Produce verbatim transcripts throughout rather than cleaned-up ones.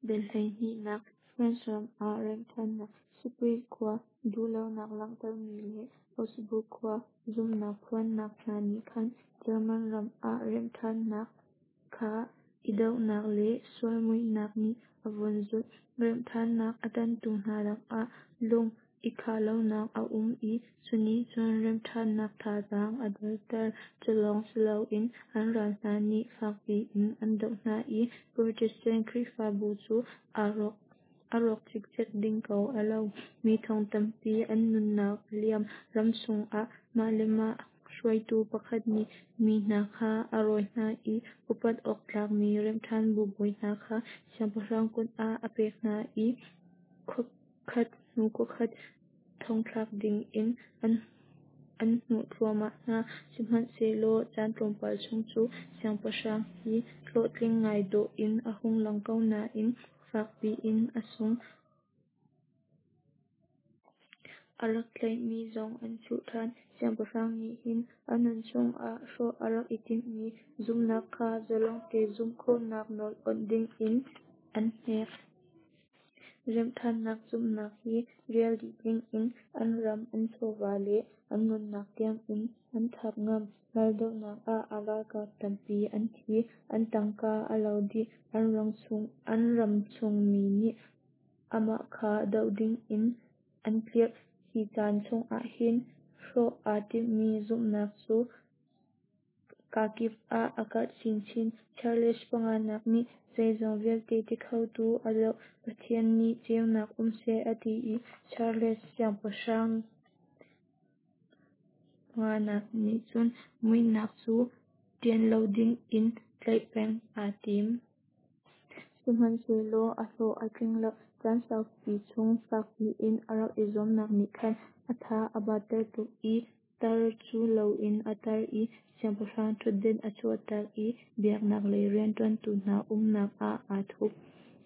Dal hleihnihnak France ram ah remhṭhannak, Spires khua duhlonak langhtermi le Augsburg khua zumhnak phuannak hna nih khan German ram ah remhṭhannak kha i dohnak le sual muihnak nih a vun zulh. Remhṭhannak a ṭanhtu hna lakah lung i khahlonak a um i cunih cun remhṭhannak thazaang a derter. Culawng siloin an ral hna nih fakpi in an doh hna i Protestant Khrihfabu cu a rawk a rawk cikcek ding ko a lo. Mi thong tampi an nunnak a liam. Ramchung ah mah le mah hruaitu pakhat nih mi hna kha a rawi hna i upat awk tlakmi remhṭhanbu bawi hna kha siangpahrang kut ah a pek hna i khuakhat hnu khuakhat thongthlak ding in an an hnuh thluahmah hna. Sihmanhsehlaw caan tlawmpal chung cu siangpahrang hi hlawhtling ngai dawh in a hung lang ko nain fakpi in a sung. A rak tlaihmi zong an chuh ṭhan. Siangpahrang nih hin a nunchung ah hrawh a rak i timhmi zumhnak kha zalong te zumh khawhnak nawl awnh ding in an hnek. Remhṭhannak zumhnak hi rial dih ding in an ram, an chawva le an nunnak tiang in an thap ngam. Raldohnak ah a ralkap tampi an thi, an tangka a lo dih, an ramchung an ramchung mi nih amah kha doh ding in an tlirh. Hi caan chung ahhin hrawh aa timhmi zumhnak cu kakip ah a karh chinchin. Charles panganak nih zeizong vialte tikhotu a doh. Pathian nih ceunak um seh a ti i Charles siangpahrang panganak nih cun muihnak cu ṭian lo ding in tlaih peng aa tim. Sihmanhsehlaw a hlawh a tling lo. Caan saupi chung fakpi in a rak i zuamnak nih khan a tha a batter tuk i tar cu loin a tar i siangpahrang ṭhutdan a chuahtak i biaknak lei rianṭuantu hna umnak ah aa thup.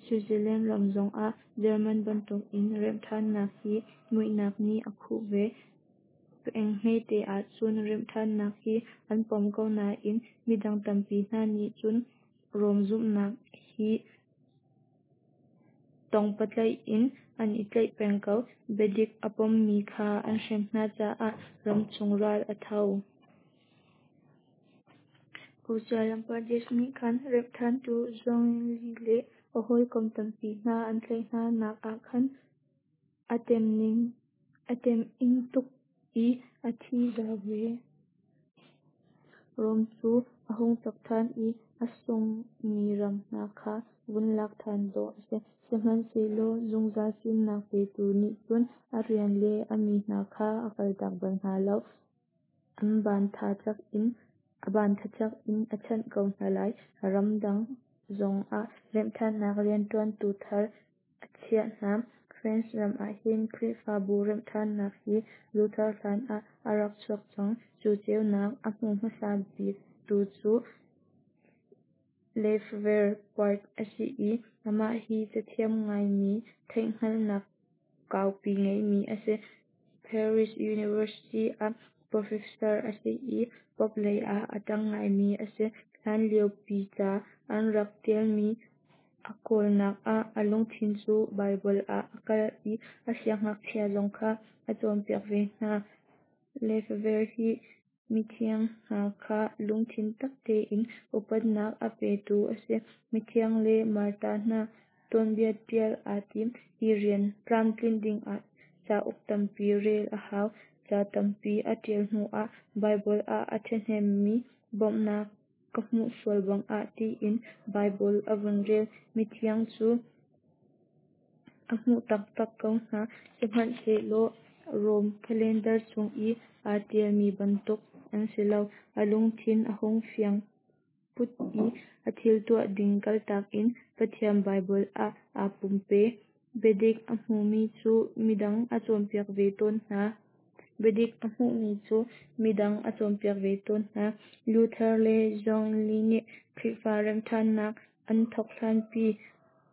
Switzerland ram zongah German bantukin remhṭhannak hi muihnak nih a khuh ve. Peng hmete ahcun remhṭhannak hi an pom ko nain midang tampi hna nih cun Rom zumhnak hi tongpatlaih in an i tlaih peng ko. Biadik a pommi kha an hrem hna caah ramchung ral a tho. Uttar Pradesh nih khan remhṭhantu Zwingli le a hawikom tampi hna an tlaih hna nak ah khan a a teming tuk i a thi zau ve. Rom cu a hung cak ṭhan i a sunghmi ram hna kha vun lak ṭhan dawh a si. Sihmanhsehlaw zungzal fimnak petu nih cun a rian le a mi hna kha a kaltak bal hna lo. An ban tha cak in a ban tha cak in a chanh ko hna lai. Ramdang zong ah remhṭhannak rianṭuantu thar a chiah hna. France ram ahhin Khrihfabu remhṭhannak hi Luther hlan ah a rak chuak cang. Cu ceunak a hmu hmasa biktu cu Lefevre a si i amah hi cathiam ngaimi theihhngalhnak kaupi ngeimi a si. Paris University ah professor a si i Pope lei ah a ṭang ngaimi a si. Hlanlio pi ca an rak ṭialmi a kawlnak ah a lungthin cu Baibal ah a kal i a siangngakchia zong kha a cawnpiak ve hna. Lefevre hi mithiang hna kha lungthin tak tein upatnak a petu a si. Mithiang le martar hna tuanbia ṭial aa tim. Hi rian tlamtlinh dingah cauk tampi rel a hau. Ca tampi a ṭial hnuah Baibal ah a ṭhahnemmi bawmhnak ka hmuh sual bang ah tiin Baibal a vun rel. Mithiang cu a hmuh taktak ko hna. Sihmanhsehlaw Rom calendar chung i aa ṭialmi bantuk an si lo. A lungthin a hung fiang phut i a thil tuah ding kaltak in Pathian Baibal ah aa pumpe. Biadik a hmumi cu midang a cawnpiak ve tawn hna. Biadik a hmuhmi cu midang a cawnpiak ve tawn hna. Luther le Zwingli nih Khrihfa remhṭhannak an thawk hlanpi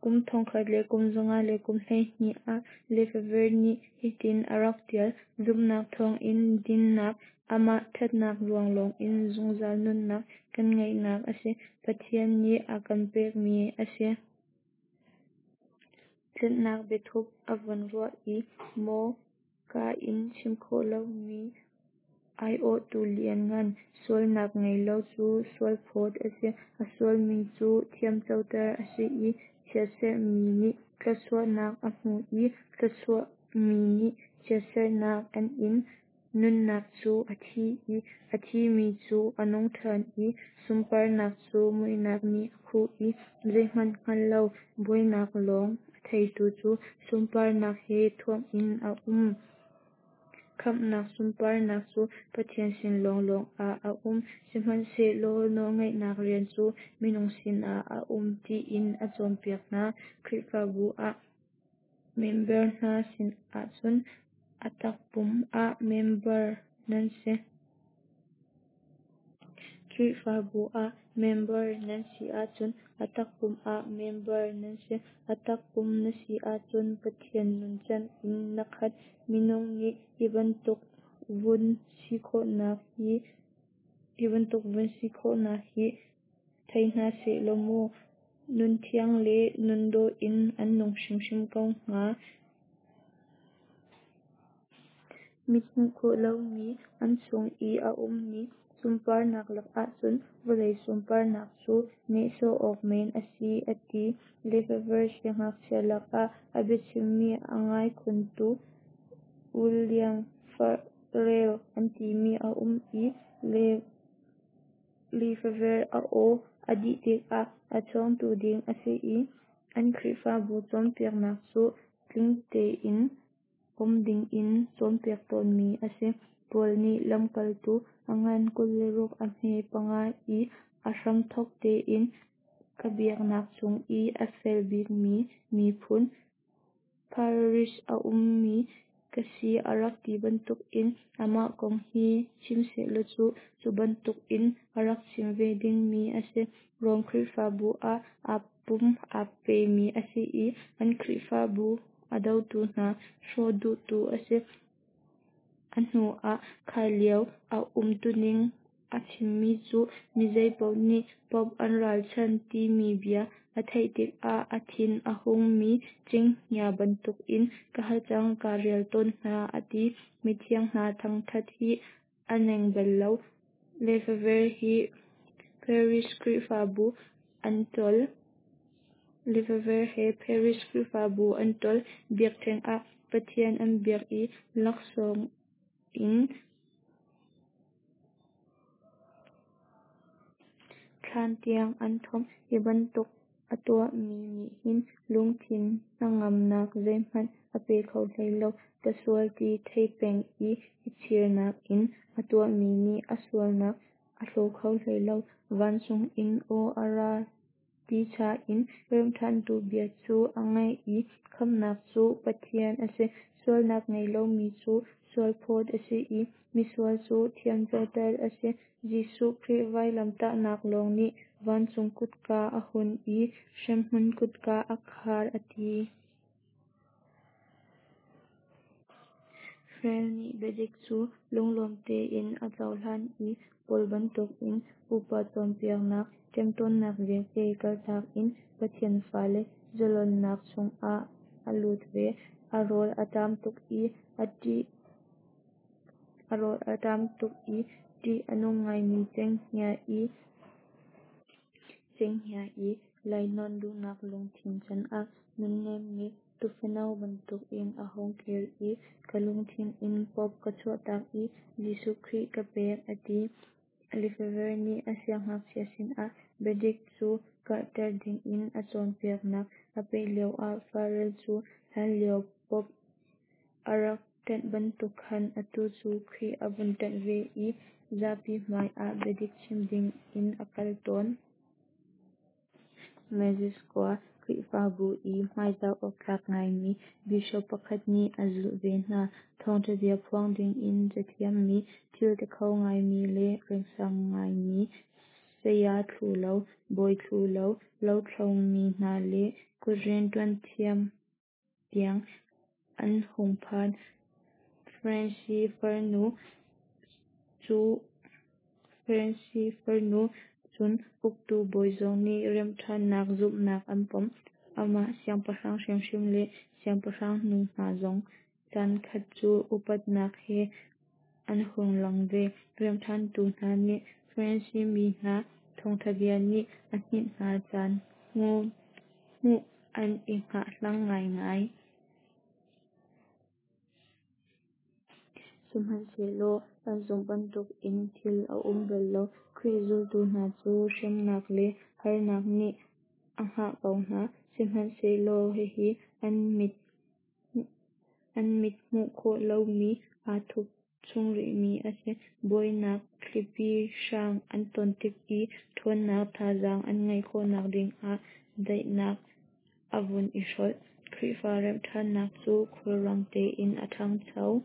kum thongkhat le kum zanga le kum hleihnih ah Lefevre nih hitin a rak ṭial: Zumhnak thawngin dinnak, amah ṭhatnak ruang lawngin zungzal nunnak kan ngeihnak a si. Pathian nih a kan pekmi a si. Tlanhnak biathup a vun ruah i, "Maw kaa in chim khawh lomi aiawhtu lianngan, sualnak ngei lo cu sualphawt a si, a sualmi cu thiamcoter a si i chiatserhmi nih thluachuahnak a hmu i thluachuahmi nih chiatserhnak an in. Nunnak cu a thi i a thimi cu a nung ṭhan i sunparnak cu muihnak nih a khuh i zeihmanh hngal lo buainak lawng a theitu cu sunparnak he thuamh in a um. Khamhnak sunparnak cu Pathian sin lawnglawng ah a um, sihmanhsehlaw nawlngeihnak rian cu minung sinah a um," tiin a cawnpiak hna. Khrihfabu ah member hna si ahcun a takpum ah member nan si. Khrihfabu ah member nan si ahcun a takpum ah member nan si. A takpum na si ahcun Pathian nuncan in na khat. Minung nih hi bantuk vun si khawhnak hi hi bantuk vun si khawhnak hi thei hna sehlaw mu, nunthiang le nundawh in an nung hrimhrim ko hnga. Mit hmuh khawh lomi an chung i a ummi sunparnak lakah cun vawlei sunparnak cu nehsawh awk men a si, a ti. Lefevre siangngakchia lakah a biachimmi a ngai khuntu William Farel an timi a um i Lefevre a aw a dih tikah a chawngtu ding a si i an Khrihfabu cawnpiaknak cu tling tein pom dingin cawnpiak tawnmi a si. Paul nih lamkaltu a ngan kul le ruk a hme panga i a hramthawk tein ka biaknak chung i a fel bikmi miphun, Pharisee a ummi ka si a rak ti bantukin amah kong hi chim sehlaw cu, cu bantukin a rak chim ve dingmi a si. Rom Khrihfabu ah aa pum aa pemi a si i an Khrihfabu a dotu hna hrawh duhtu a si. A hnu ah kha lio a umtuning a chimmi cu mi zeipaoh nih Pope an ralchanh timi bia a theih tikah a thin a hungmi cenghngia bantukin ka hacang kaa rial tawn hna a ti. Mithiang hna thangthat hi a neng bal lo. Lefevre hi Paris Khrihfabu an ṭawl. Lefevre he Paris Khrihfabu an ṭawl. Biakṭheng ah Pathian an biak i laksawng in thlan tiang an thomh. Hi bantuk a tuahmi nih hin lungthin hnangamnak zeihmanh a pe kho hlei lo. Ka sual ti thei peng i i chirnak in a tuahmi nih a sualnak a hlaw kho hlei lo. Vancung in aw a ra ti cha in remhṭhantu bia cu a ngaih i khamhnak cu Pathian a si. Sualnak ngei lomi cu sualphawt a si i misual cu thiamcoter a si. Jesuh Khrih vailamtahnak lawng nih vancung kutka a hun i hremhmun kutka a khar a ti. Farel nih biadik cu lunglawm tein a cohlan i Paul bantukin pupa cawnpiaknak ṭemṭawnnak vialte kaltak in Pathian fale zalonnak chungah a lut ve. A rawl a ṭam tuk i ṭih a rawl a ṭam tuk i ṭih a nung ngaimi cenghngia i cenghngia i lainawn duhnak lungthin canah nunnemmi tuufano bantukin a hung kir i ka lungthin in Pope ka chuahtak i Jesuh Khrih ka pek a ti. Lefevre nih a siangngakchia sinah biadik cu karhter dingin a cawnpiaknak a peh lioah Farel cu hlanlio Pope a rak ṭanh bantuk khan atu cu Khrih a vun ṭanh ve i zapi hmai ah biadik chim dingin a kal tawn. Metz khua Khrihfabu i hmaizah awktlak ngaimi Bishop pakhat nih a zulh ve hna. Thawngṭha bia phuang dingin cathiammi, thil tikho ngaimi le rengsang ngaimi saya thlu lo, bawi thlu lo, lothlo mi hna le kut rianṭuan thiam tiang an hung phan. Francis farnu cu Francis farnu cun uktu bawi zong nih remhṭhannak zumhnak an pom. Amah siangpahrang hrimhrim le siangpahrang nu hna zong caan khat cu upatnak he an hung lang ve. Remhṭhantu hna nih Farasi mi hna thawngṭha bia nih a hninh hna caan hmuh an i hngahhlang ngaingai. Sihmanhsehlaw an zumh bantukin thil a um bal lo. Khrih zultu hna cu hremnak le harnak nih a hngah ko hna. Sihmanhsehlaw hihi an mit hmuh khawh lomi, aa thup chung rihmi a si. Buainak thlipi hrang an ton tik i ṭhawnnak thazaang an ngeih khawhnak dingah daihnak a vun i hrolh. Khrihfa remhṭhannak cu khulrang tein a ṭhangcho.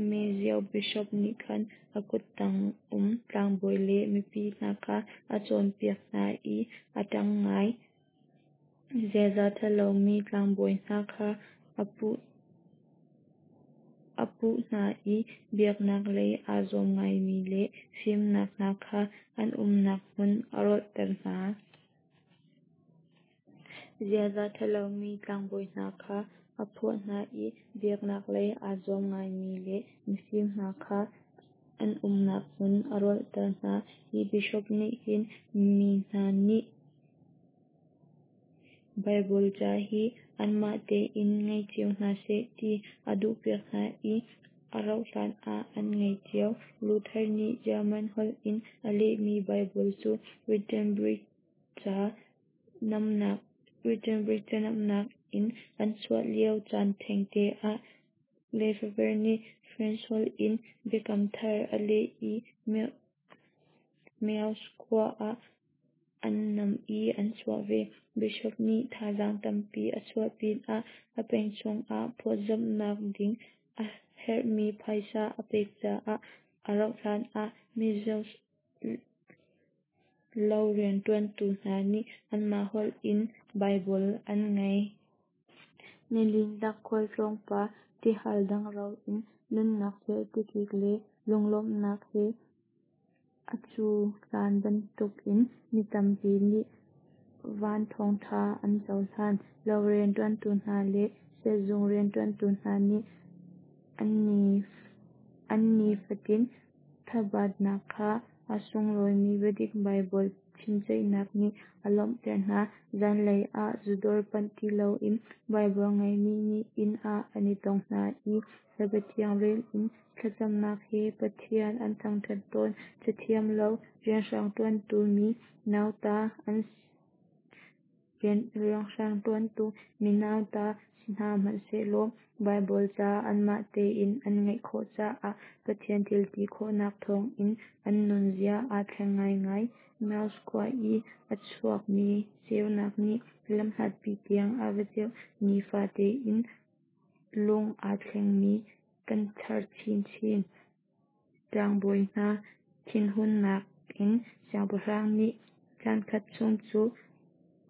Mezeaux Bishop nih khan a kuttang um tlangbawi le mipi hna kha a cawnpiak hna i a ṭang ngai. Ziaza ṭhalomi tlangbawi hna kha a puh hna i biaknak lei aa zuam ngaimi le mifim hna kha an umnak hmun a rolhter hna. Ziaza ṭhalomi tlangbawi hna kha a phuah hna i biaknak lei aa zuam ngaimi le mifim hna kha an umnak hmun a rolhter hna. Hi bishop nih hin mi hna nih Baibal ca hi anmah tein ngei cio hna seh ti a duhpiak hna i a rauhhlan ah an ngei cio. Luther nih German holh in a lehmi Baibal cu Wittenberg ca namnak in an chuah lio caan thengte ah Lefevre nih French holh in Biakam Thar a leh i Meaux khua ah an nam i an chuah ve. Bishop nih thazaang tampi a chuah pinah a peng chungah phawtzamhnak ding a herhmi phaisa a pek caah a rauhhlan ah Meaux lo rianṭuantu hna nih anmah holh in Baibal an ngei. Nilin lak khualtlawng pa tihal dangro in nunnak cu tikik le lunglawmhnak he a cuhlan bantukin mi tampi nih van thawngṭha an cohlan. Lo rianṭuantu hna le sehzung rianṭuantu hna nih an nifatin thabatnak kha a sunglawimi biadik Baibal chimceihnak nih a lawmhter hna. Zanlei ah zudawr panh ti loin Baibal ngeimi nih inn ah an i tong hna i Cabia Thiang rel in thlacamnak he Pathian an thangṭhat tawn. Cathiam lo rianhrang ṭuantu mi nauta si hna hmanhsehlaw Baibal ca anmah tein an ngeih khawh caah Pathian thil ti khawhnak thawngin an nunzia aa thleng ngaingai. Meaux khua i a chuakmi ceunak nih lamhlatpi tiang a va ceuh. Nifate in lung aa thlengmi kan char chinchin. Tlangbawi hna thinhunnak in siangpahrang nih caankhat chung cu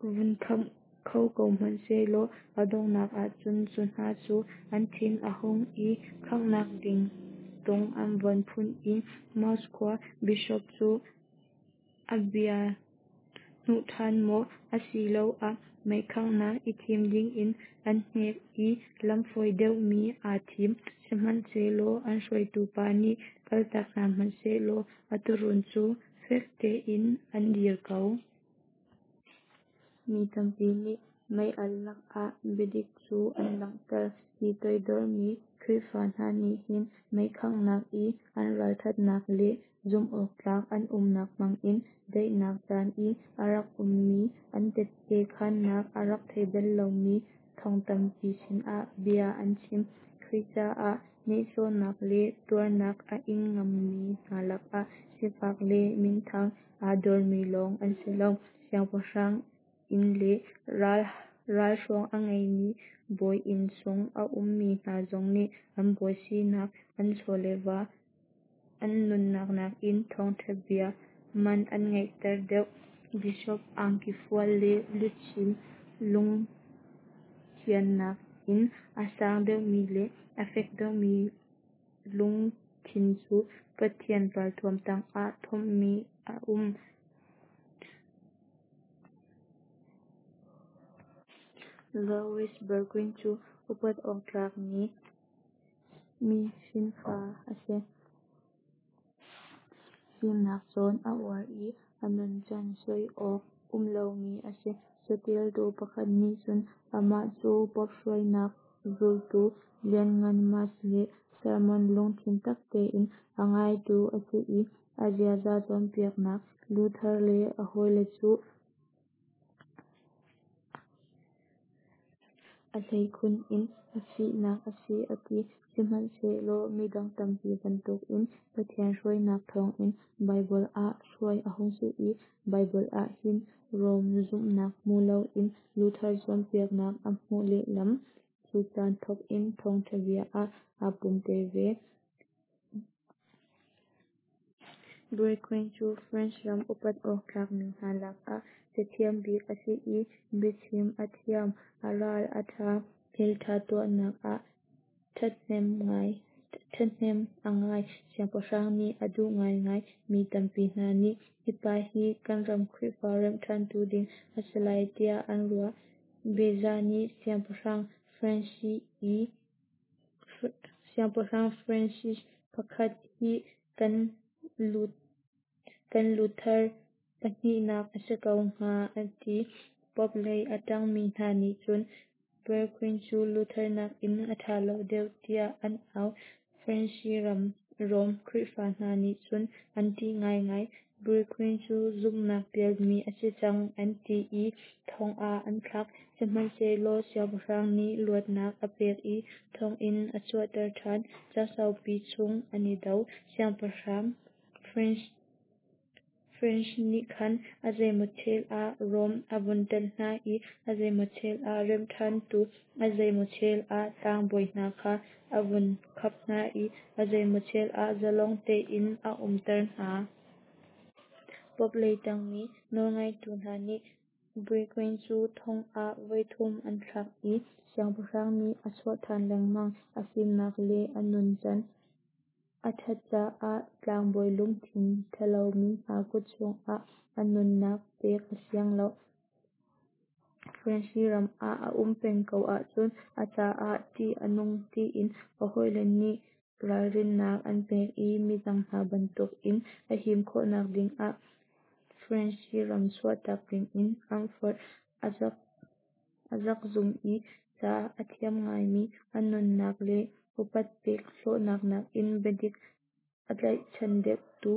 vun khamh kho ko hmanh sehlaw a donghnak ahcun cu hna cu an thin a hung i khanghnak ding tung an von phun i Meaux khua bishop cu a bia hnuh ṭhan maw, asiloah meikhanghnak i thim dingin an hnek i lam fawi deuhmi aa thim. Sihmanhsehlaw an hruaitu pa nih kaltak hna hmanhsehlaw a tuurun cu fek tein an dir ko. Mi tampi nih mei-alh lakah biadik cu an langhter. Hi toidormi Khrihfa hna nih hin meikhanghnak i an ralṭhatnak le zumhawktlak an umnak hmangin daihnak caan i a rak ummi an tette khaannak a rak thei bal lomi thong tampi sinah bia an chim. Khrih caah nehsawhnak le tuarnak a ing ngammi hna lakah sifak le minthang aa dormi lawng an si lo, siangpahrang inn le ralhruang a ngeimi bawi inn chung a ummi hna zong nih an bawi sinak, an chaw le va, an nunnak nakin thawngṭha bia man an ngeihter deuh. Bishop angki fual le luchin lungthiang nakin a sang deuhmi le a fek deuhmi lungthin cu Pathian ralthuam tangah thuamhmi a um. Louis Berquin cu upat awk tlakmi mi hrinfa a si. Fimnak cawn a uar i a nuncan soi awk um lomi a si. Catialtu pakhat nih cun amah cu Pope hruainak zultu lianngan, Mass le sermon lungthin tak tein a ngaitu a si i a ziaza cawnpiaknak Luther le a hawile cu a hleikhun in a fihnak a si a ti. Sihmanhsehlaw midang tampi bantukin Pathian hruainak thawngin Baibal ah hruai a hung si i Baibal ah hin Rom zumhnak hmu loin Luther cawnpiaknak a hmuh lehlam. Cu caan thawk in thawngtha bia ah aa pumpe ve. Berquin cu France ram upat awk tlakmi hna lakah cathiam bik a si i biachim a thiam, a ral a ṭha, thilṭha tuahnak ah ṭhahnem a ngai. Siangpahrang nih a duh ngaingai. Mi tampi hna nih hi pa hi kan ram Khrihfa remh ṭhantu ding a si lai tiah an ruah. Beza nih Siangpahrang Francis pakhat hi kan Luther pahnihnak a si ko hnga a ti. Pope lei a ṭangmi hna nih cun Berquin cu Luther nakin a ṭha lo deuh tiah an au. Fransi ram Rom Khrihfa hna nih cun an ṭih ngaingai. Berquin cu zumhnak pialmi a si cang an ti i thong ah an thlak. Sihmanhsehlaw siangpahrang nih luatnak a pek i thonginn a chuahter ṭhan. Caan saupi chung an i do. Siangpahrang Francis nih khan a zeimaw chel ah Rom a vun ṭanh hna i a zeimaw chel ah remh ṭhantu, a zeimaw chel ah tlangbawi hna kha a vun khap hna i a zeimaw chel ah zalong tein a umter hna. Pope lei ṭangmi nawlngeitu hna nih Berquin cu thong ah voithum an thlak i siangpahrang nih a chuah ṭhan lengmang. A fimnak le a nuncan a ṭhat caah tlangbawi lungthin ṭhalomi hna kut chungah a nunnak pek a siang lo. Fransi ram ah a um peng ko ahcun a caah ṭih a nung tiin a hawile nih ralrinnak an pek i midang hna bantukin a him khawhnak dingah Fransi ram chuahtak dingin an forh. A zakzum i ca a thiam ngaimi, a nunnak le upat pek hlawhnak nakin biadik a tlaihchan deuhtu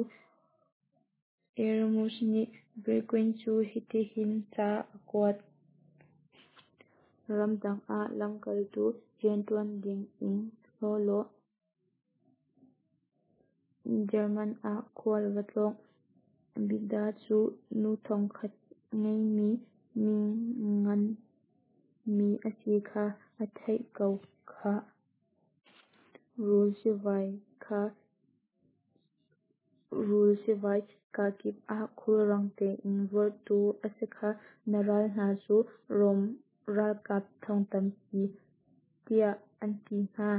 Erasmus nih Berquin cu hitihin ca a kuat. Ramdang ah lamkaltu rianṭuan dingin hlaw law German ah khual va tlawng. Beda cu nu thongkhat ngeimi mi ngan mi a si kha a theih ko khah. Rul sivai kha rul sivai kakip ah khulrang tein vorhtu a si kha. Na ral hna cu Rom ralkap thong tampi tiah an ti hna.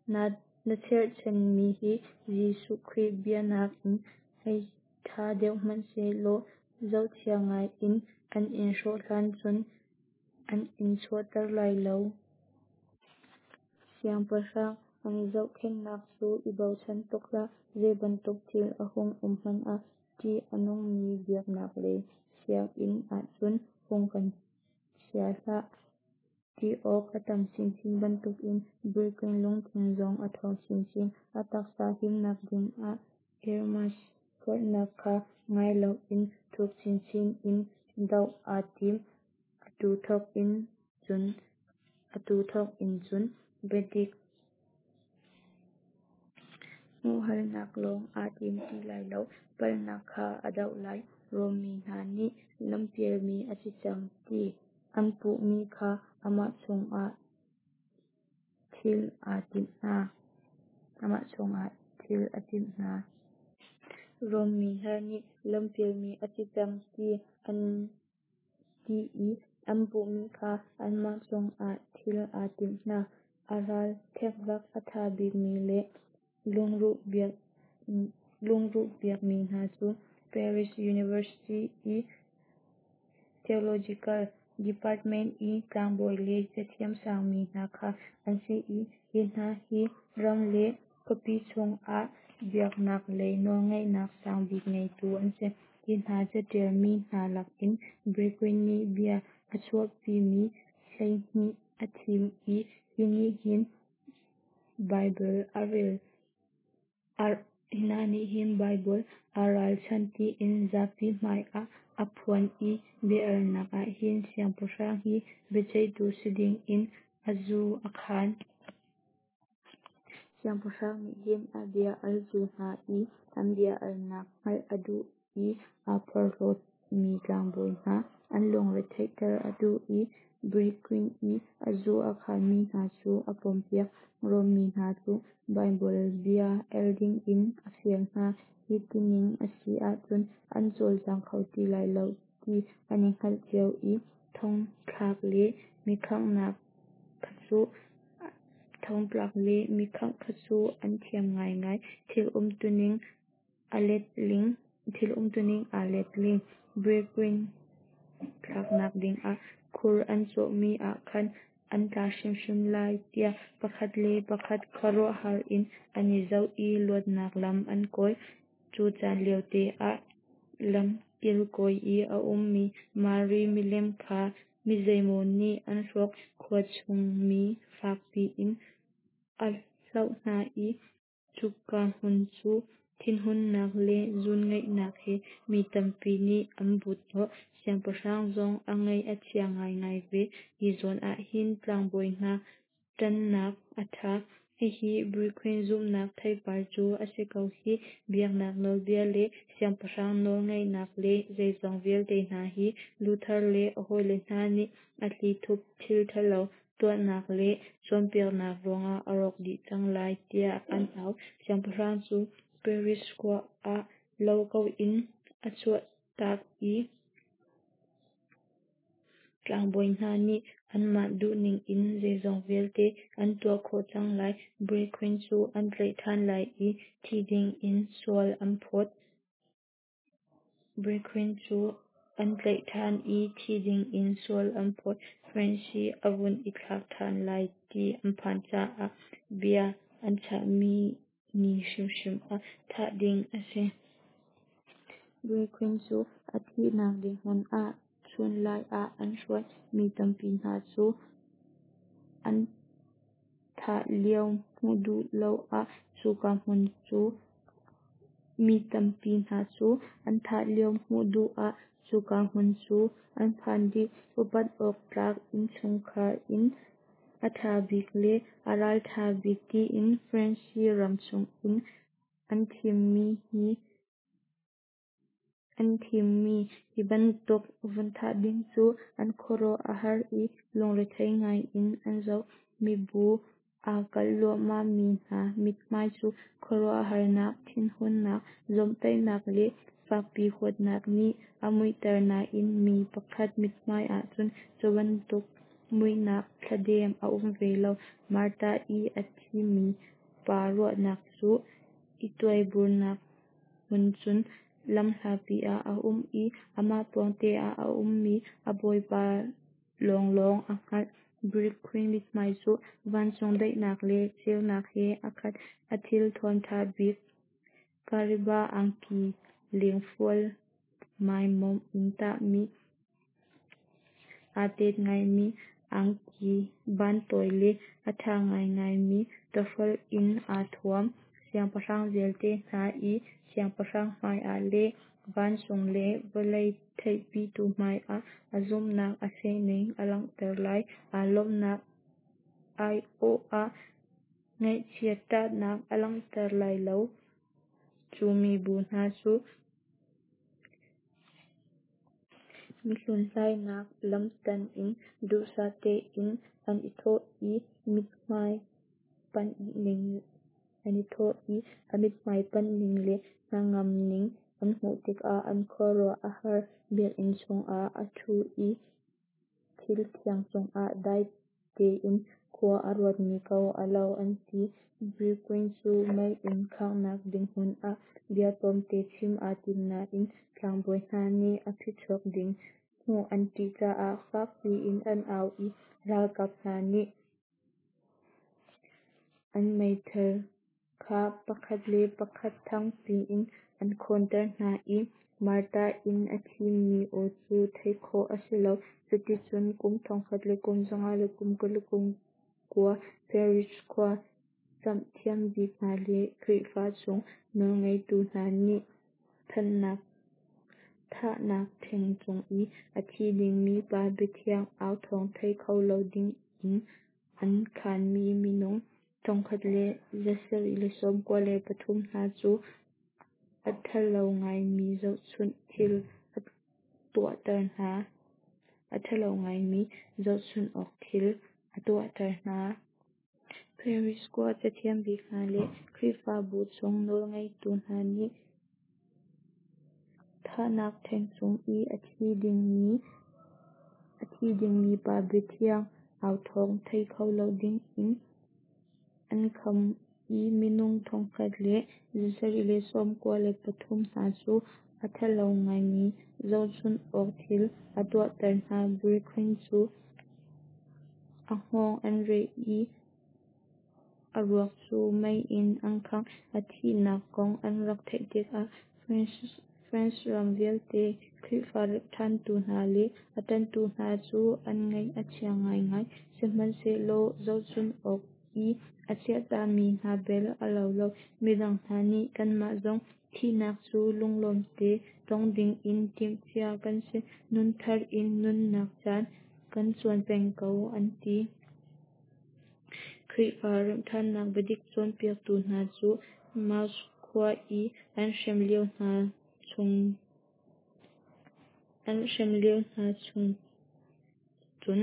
Na cherhchanmi hi Jesuh Khrih bia nakin hei ṭha deuh hmanhsehlaw zohchia ngai in an in hrawh hlan cun an in chuahter lai lo. Siangpahrang an zohkhenhnak cu i bochan tuk hlah. Zei bantuk thil a hung um hmanh ah ṭih a nungmi biaknak lei sianginn ahcun hung kan chia hlah. Ṭih awk a tam chinchin bantukin Berquin lungthin zong a ṭhawng chinchin. A taksa himnak dingah Erasmus forhnak kha ngai loin thuk chinchin in doh aa tim. Atu thawk in cun atu thawk in cun biadik hmuhhalnak lawng aa tim ti lai lo, palhnak kha a doh lai. Rom mi hna nih lampialmi a si cang ti an puhmi kha amah cungah thil a timh hna. Amah cungah thil a timh hna. Rom mi hna nih lampialmi a si cang ti an ti i an puhmi kha anmah cungah thil a timh hna. A ral ṭhekvak a ṭha bikmi le lungruh bikmi hna cu Paris University i Theological Department i tlangbawi le cathiam sangmi hna kha an si i, hi hna hi ram le khuapi chungah biaknak lei nawlngeihnak sangbik ngeitu an si. Hi hna caṭial mi hna lakin Berquin nih bia a chuahpimi hleihnih a thim i hi nih hin Baibal aa ralchanh tiin zapi hmai ah a phuan. Hi bia-alnak ah hin siangpahrang hi biaceihtu si dingin a zu a khaan. Siangpahrang nih hin a bia-altu hna i an bia-alnak hngalh a duh i aa porhlawtmi tlangbawi hna an lungre theihter a duh i Berquin i a zu a khaanmi hna cu a pompiak. Rom mi hna cu Baibal bia el dingin a fial hna. Hi tining a si ahcun an cawlcang kho ti lai lo ti an i hngalh cio i thongthlak le mi khangh kha cu an thiam ngaingai. Thil umtuning aa letling. Berquin thlaknak dingah khur an cawhmi ah khan an tla hrimhrim lai tiah pakhat le pakhat khuaruahhar in an i zoh i luatnak lam an kawl. Cu caan liote ah lam kilkawi i a ummi Mari milem kha mizeimaw nih an hrawk. Khua chung mi fak piin a hlauh hna i cuka hmun cu thinhunnak le zuunngaihnak he mi tampi nih an but hnawh. Siangpahrang zong a ngaih a chia ngaingai ve. Hi zawn ah hin tlangbawi hna ṭannak a ṭha. Hihi Berquin zumhnak theipar cu a si ko hih. Biaknak nawlbia le siangpahrang nawlngeihnak le zeizong vialte hna hi Luther le a hawile hna nih a thlithup thil ṭhalo tuahnak le cawnpiaknak ruangah a rawk dih cang lai tiah an au. Siangpahrang cu Paris khua ah lo ko in a chuahtak i tlangbawi hna nih anmah duhning in zeizong vialte an tuah khawh cang lai. Berquin cu an tlaih ṭhan lai i thi dingin sual an phawt. Berquin cu an tlaih ṭhan i thi dingin sual an phawt. France hi a vun i thlak ṭhan lai ti an phan caah bia an chahmi ni hrimhrim ah thah ding a si. Berquin cu a thihnak ding hmun ah chunlai ah an hruai. Mi tampi hna cu an thah lio hmuh duh lo ah cuka hmun cu mi tampi hna cu an thah lio hmuh duh ah cuka hmun cu an phan dih. Upat awk tlak innchungkhar in a ṭha bik le a ralṭha bik tiin France ram chungin an thimmi hi an thimmi hi bantuk vun thah ding cu an khuaruah a har i lungrethei ngaiin an zoh. Mibu aa kalh luahmahmi hna mithmai cu khuaruahharnak, thinhunnak, zawmhtaihnak le fakpi huatnak nih a muihter nain mi pakhat mithmai ahcun cu bantuk muihnak thladem a um ve lo. Martyr i a thimi pa ruahnak cu i tuaiburnak hmun cun lamhlapi ah a um i amah pawngte ah a ummi a bawipa lawnglawng a hngalh. Berquin mithmai cu vancung daihnak le ceunak he a khat. A thilthuam ṭha bik kariba angki lengfual maimomh in tahmi aa tet ngaimi angki bantawi le a ṭha ngaingaimi tawhrolh in aa thuam. Siangpahrang vialte hna i siangpahrang hmaiah le vancung le vawlei theihpitu hmaiah a zumhnak a fehning a langhter lai. Aa lawmhnak aiawh ah ngaihchiat ṭahnak a langhter lai lo. Cu mibu hna cu mihlunhlainak lamtan in duhsah tein an i thawh i mithmai panh ning an i thawh i a mithmai panh ning le hnangam ning an hmuh tikah an khuaruah a har. Biakinn chungah a ṭhu i thil thiang cungah dai tein khua a ruatmi ko a lo, an ti. Berquin cu mei in khanghnak ding hmun ah bia tlawmte chim aa tim nain tlangbawi hna nih a phichuak ding hmuh an ṭih caah fak piin an au i ralkap hna nih an meithal kha pakhat le pakhat thang piin an khawnter hna i martar in a thimi aw cu theih khawh a si lo. Cuticun kum thongkhat le kum zanga le kum kul le kum kua Paris khua camhthiam bik hna le Khrihfa chung nawlngeitu hna nih thahnak ṭheng cung i a thi dingmi pa biathiang au thawng thei kho lo dingin an khaanmi minung thongkhat le zasarih le sawmkua le pathum hna cu a ṭhalo ngaimi zohchunh thil a tuahter hna. A ṭhalo ngaimi zohchunh awk thil a tuahter hna. Paris khua cathiam bik hna le Khrihfabu chung nawlngeitu hna nih thahnak ṭheng cung i a thi dingmi a thi dingmi pa biathiang au thawng thei kho lo dingin an kham i minung thongkhat le zasarih le sawmkua le pathum hna cu a ṭhalo ngaimi zohchunh awk thil a tuahter hna. Berquin cu a hngawng an reh i a ruak cu mei in an khangh. A thihnak kong an rak theih tikah France ram vialte Khrihfa remhṭhantu hna le a ṭanhtu hna cu an ngaih a chia ngaingai. Sihmanhsehlaw zohchunh awk i a chiahtami hna bel a lo lo. Midang hna nih kanmah zong thihnak cu lunglawm te tong dingin timhcia kan si, nunthar in nunnak caan kan cuan peng ko, an ti. Khrihfa remhṭhannak biadik cawnpiaktu hna cu Meaux khua i an hrem lio hna chung an hrem lio hna chung cun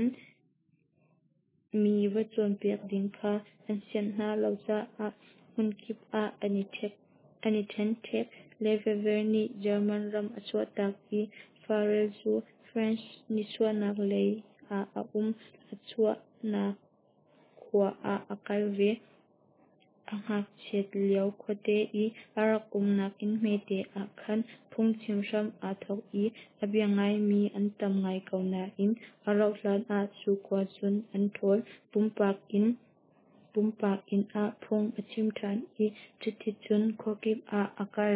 mi va cawnpiak ding kha an sianh hna lo caah hmunkip ah an i ṭhek an i ṭhenṭhek. Lefevre nih German ram a chuahtak i Farel cu France nichuahnak lei ah a um. A chuahnak khua ah a kal ve. A ngakchiat lio khuate i a rak umnak inn hmete ah khan phungchim hram aa thawk i a bia ngaimi an tam ngai ko nain a rauhhlan ah cu khua cun an ṭhawl. Pumpak inn pumpak inn ah phung a chim ṭhan i cuticun khuakip ah a kal.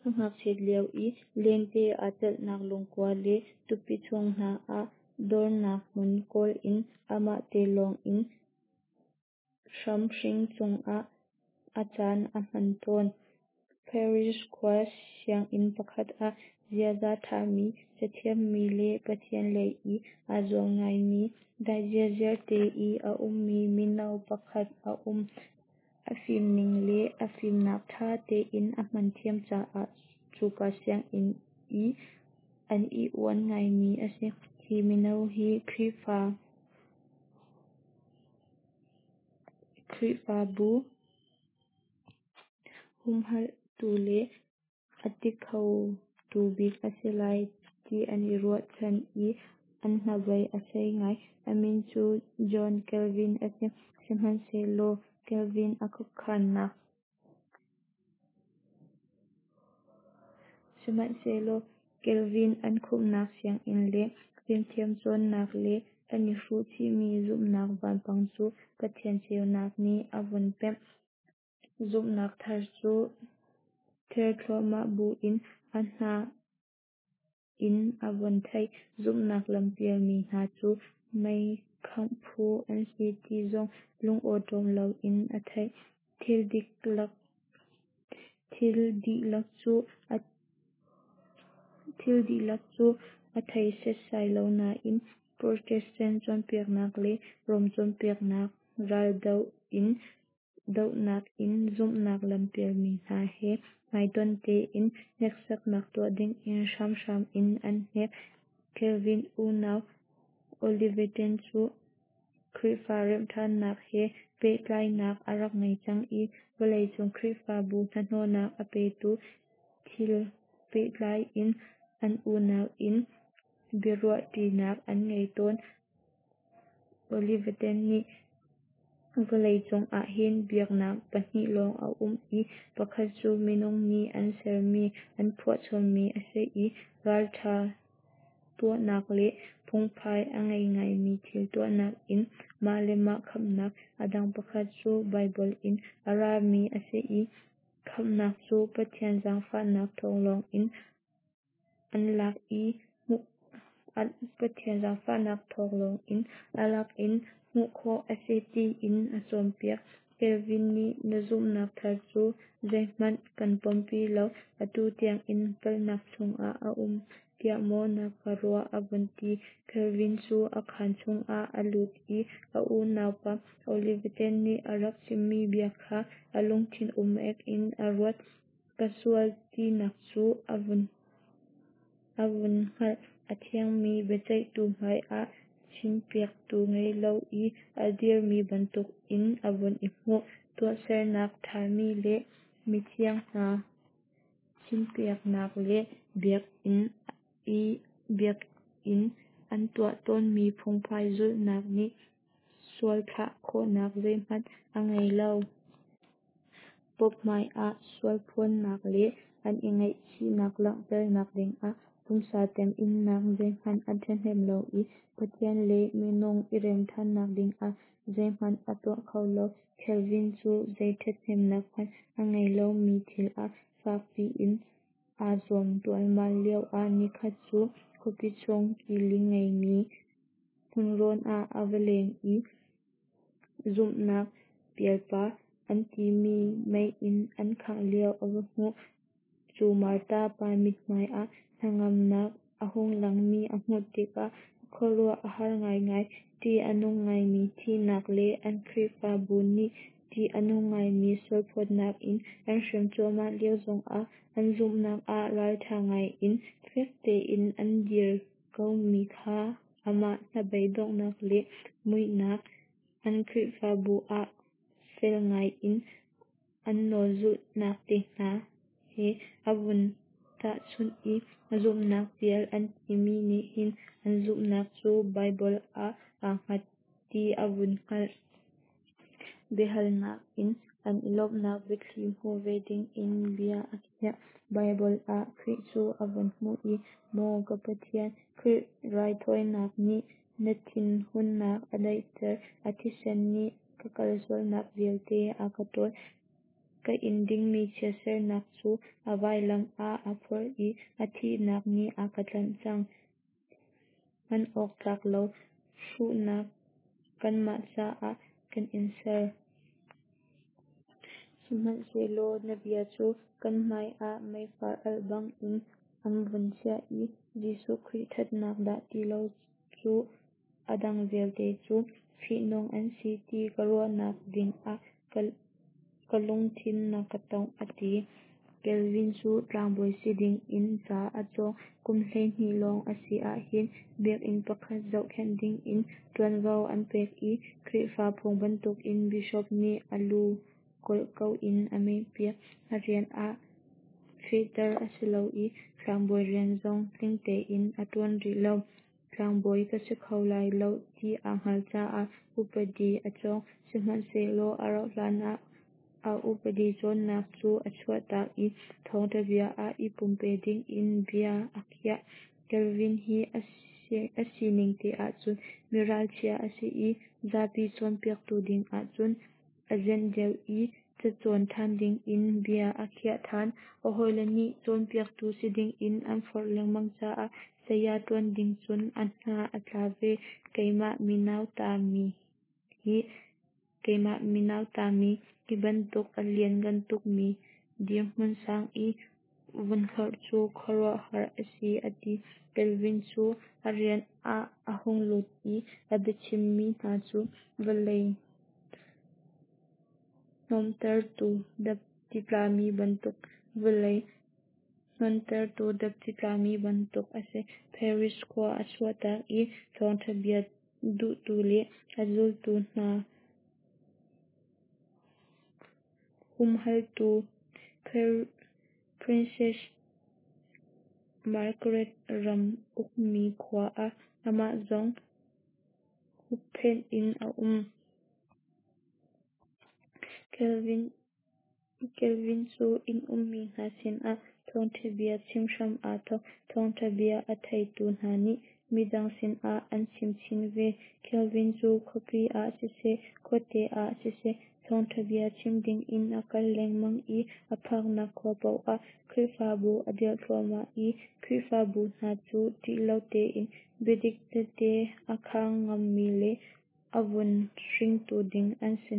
A ngakchiat lio i lente aa celhnak lungkua le tupi chung hna ah dornak hmun kawl in amah te lawng in hramhring cungah a caan a hman tawn. Paris khua sianginn pakhat ah ziaza ṭhami, cathiammi le Pathian lei i aa zuam ngaimi, dai ziarziar te i a ummi mino pakhat a um. A fimning le a fimnak ṭha tein a hman thiam caah cuka sianginn i an i uan ngaimi a si. Hi mino hi Khrihfa Khrihfabu humhalhtu le a ti khotu bik a si lai ti an i ruahchan i an hnabei a sei ngai. A min cu John Calvin a si. Sihmanhsehlaw Calvin a khuakhannak Sihmanhsehlaw Calvin an khumhnak sianginn le fimthiam cawnnak le an i hruh chihmi zumhnak vanpang cu Pathian ceunak nih a vun pemh. Zumhnak thar cu ther thluahmah buin a hnah in a vun thei. Zumhnak lampialmi hna cu mei khangh phu an si ti zong lungawṭawm loin a theih. Thil dihlak thil dihlak cu a thil dihlak cu a thei setsai lo nain Protestant cawnpiaknak le Rom cawnpiaknak raldoh in dohnak in zumhnak lampialmi hna he hmaitonh tein hneksaknak tuah dingin hramhram in an hnek. Calvin unau Olivetan cu Khrihfa remhṭhannak he pehtlaihnak a rak ngei cang i vawleicung Khrihfabu hnahnawhnak a petu thil pehtlai in an unau in biaruahṭinak an ngei tawn. Olivetan nih Vawlei cung ahhin biaknak pahnih lawng a um i pakhat cu minung nih an sermi, an phuahchommi a si i ralṭha tuahnak le phungphai a ngei ngaimi thil tuahnak in mah le mah khamhnak, a dang pakhat cu Baibal in a rami a si i khamhnak cu Pathian zaangfahnak thawng lawngin an lak i hmuh Pathian zaangfahnak thawng lawngin a lak in hmuh khawh a si tiin a cawnpiak. Calvin nih na zumhnak thar cu zeihmanh kan pompi lo, atu tiangin palhnak chungah a um tiah maw na ka ruah a vun ti. Calvin cu a khaan chungah a lut i a unaupa Olivetan nih a rak chimmi bia kha a lungthin um-ek in a ruat. Ka sual tinak cu a vun a vun hngalh. A thiangmi biaceihtu hmaiah chimpiaktu ngei lo i a dirmi bantukin a vun i hmuh. Tuahsernak ṭhami le mithiang hna chimpiaknak le biakinn i biakinn an tuah tawnmi phungphai zulhnak nih sualthlah khawhnak zeihmanh a ngei lo. Pope hmaiah sualphuannak le an i ngaihchihnak langhternak dingah pumsa temhinnak zeihmanh a ṭhahnem lo i Pathian le minung i remṭhannak dingah zeihmanh a tuah kho lo. Calvin cu zei ṭhathnemnak hmanh a ngei lomi thil ah fakpi in aa zuam ṭualmal lioah nikhat cu khuapi chung kili ngeimi hmunrawn ah a va leng i zumhnak pialpa an timi mei in an khangh lio a va hmuh. Cu Martar pa mithmai ah hnangamnak a hung langmi a hmuh tikah a khuaruah a har ngaingai. Ṭih a nung ngaimi thihnak le an Khrihfabu nih ṭih a nung ngaimi sualphawtnak in an hrem cuahmah lio zongah an zumhnak ah ralṭha ngaiin fek tein an dir komi kha amah hnabeidonghnak le muihnak an Khrihfabu ah fel ngaiin an nawl zulhnak te hna he a vun tahchunh i zumhnak pial an timi nih hin an zumhnak cu Baibal ah aa hngat ti a vun hngalh. Biahalnak in an i lawmhnak biathli hmuh ve dingin bia a khiah. Baibal ah Khrih cu a vun hmuh i "Maw ka Pathian, Khrih raithawinak nih na thinhunnak a daihter, a thisen nih ka kalsualnak vialte a ka ṭawl, ka in dingmi chiatsernak cu a vailam ah aa phorh i a thihnak nih a ka tlanh cang. Hman awk tlak lo hruhnak kanmah caah kan in ser. Sihmanhsehlaw na bia cu kan hmaiah meifar alh bangin an vun chiah i Jesuh Khrih ṭhatnak dah ti lo cu a dang vialte cu fihnung an si ti ka ruahnak dingah ka lungthin na ka tongh," a ti. Calvin cu tlangbawi si dingin ca a cawng. Kum hleihnih lawng a si ahhin biakinn pakhat zohkhenh dingin ṭuanvo an pek i Khrihfa phung bantukin Bishop nih a lu kawlh ko in a mehpiak. A rian ah fehter a si lo i tlangbawi rian zong tling tein a ṭuan rih lo. Tlangbawi ka si kho lai lo ti aa hngalh caah upadi a cawng. Sihmanhsehlaw a rauh hlanah a upadi cawnnak cu a chuahtak i thawngṭha bia ah i pumpe dingin bia a khiah. Calvin hi a sining te ahcun mi ralchia a si i zapi cawnpiaktu dingah cun a zenh deuh i cacawn ṭhan dingin bia a khiah ṭhan. A hawile nih cawnpiaktu si dingin an forh lengmang caah saya ṭuan ding cun a hna a tla ve. Keimah mi nautami hi keimah mi nautami hi bantuk a lianngan tukmi dirhmun sang i vun hlorh cu khuaruahhar a si, a ti. Calvin cu a rian ah a hung lut i a biachimmi hna cu vawlei hnawmtertu dapti tlami bantuk vawlei hnontertu dapti tlami bantuk a si. Paris khua a chuahtak i thawngṭha bia duhtu le a zultu hna humhaltu Princess Margaret ram ukmi khua ah amah zong hupphenh in a um. Calvin cu inn ummi hna sinah thawngṭha bia chim hram aa thawk. Thawngṭha bia a theitu hna nih midang sinah an chim chin ve. Calvin cu khuapi ah siseh, khuate ah siseh thawngṭha bia chim dingin a kal lengmang i a phaknak khua paoh ah Khrihfabu a dirh thluahmah i Khrihfabu hna cu ṭih lo tein biadik tehte a khang ngammi le a vun hringtu ding an si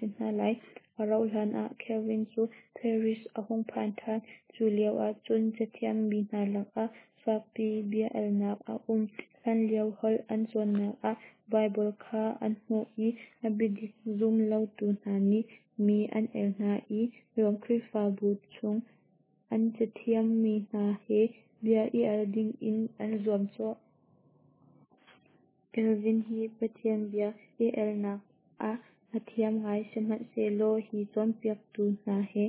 hna lai. A rauh hlan ah Calvin cu Paris a hung phan ṭhan. Cu lio ahcun cathiam mi hna lakah fakpi bia alnak a um. Hlanlio holh an cawnnak ah Baibal kha an hmuh i a biadik zum lotu hna nih mi an el hna i Rom Khrihfabu chung an cathiam mi hna he bia i al dingin an zuamcawh. Calvin hi Pathian bia i alnak ah a thiam ngai, sihmanhsehlaw hi cawnpiaktu hna he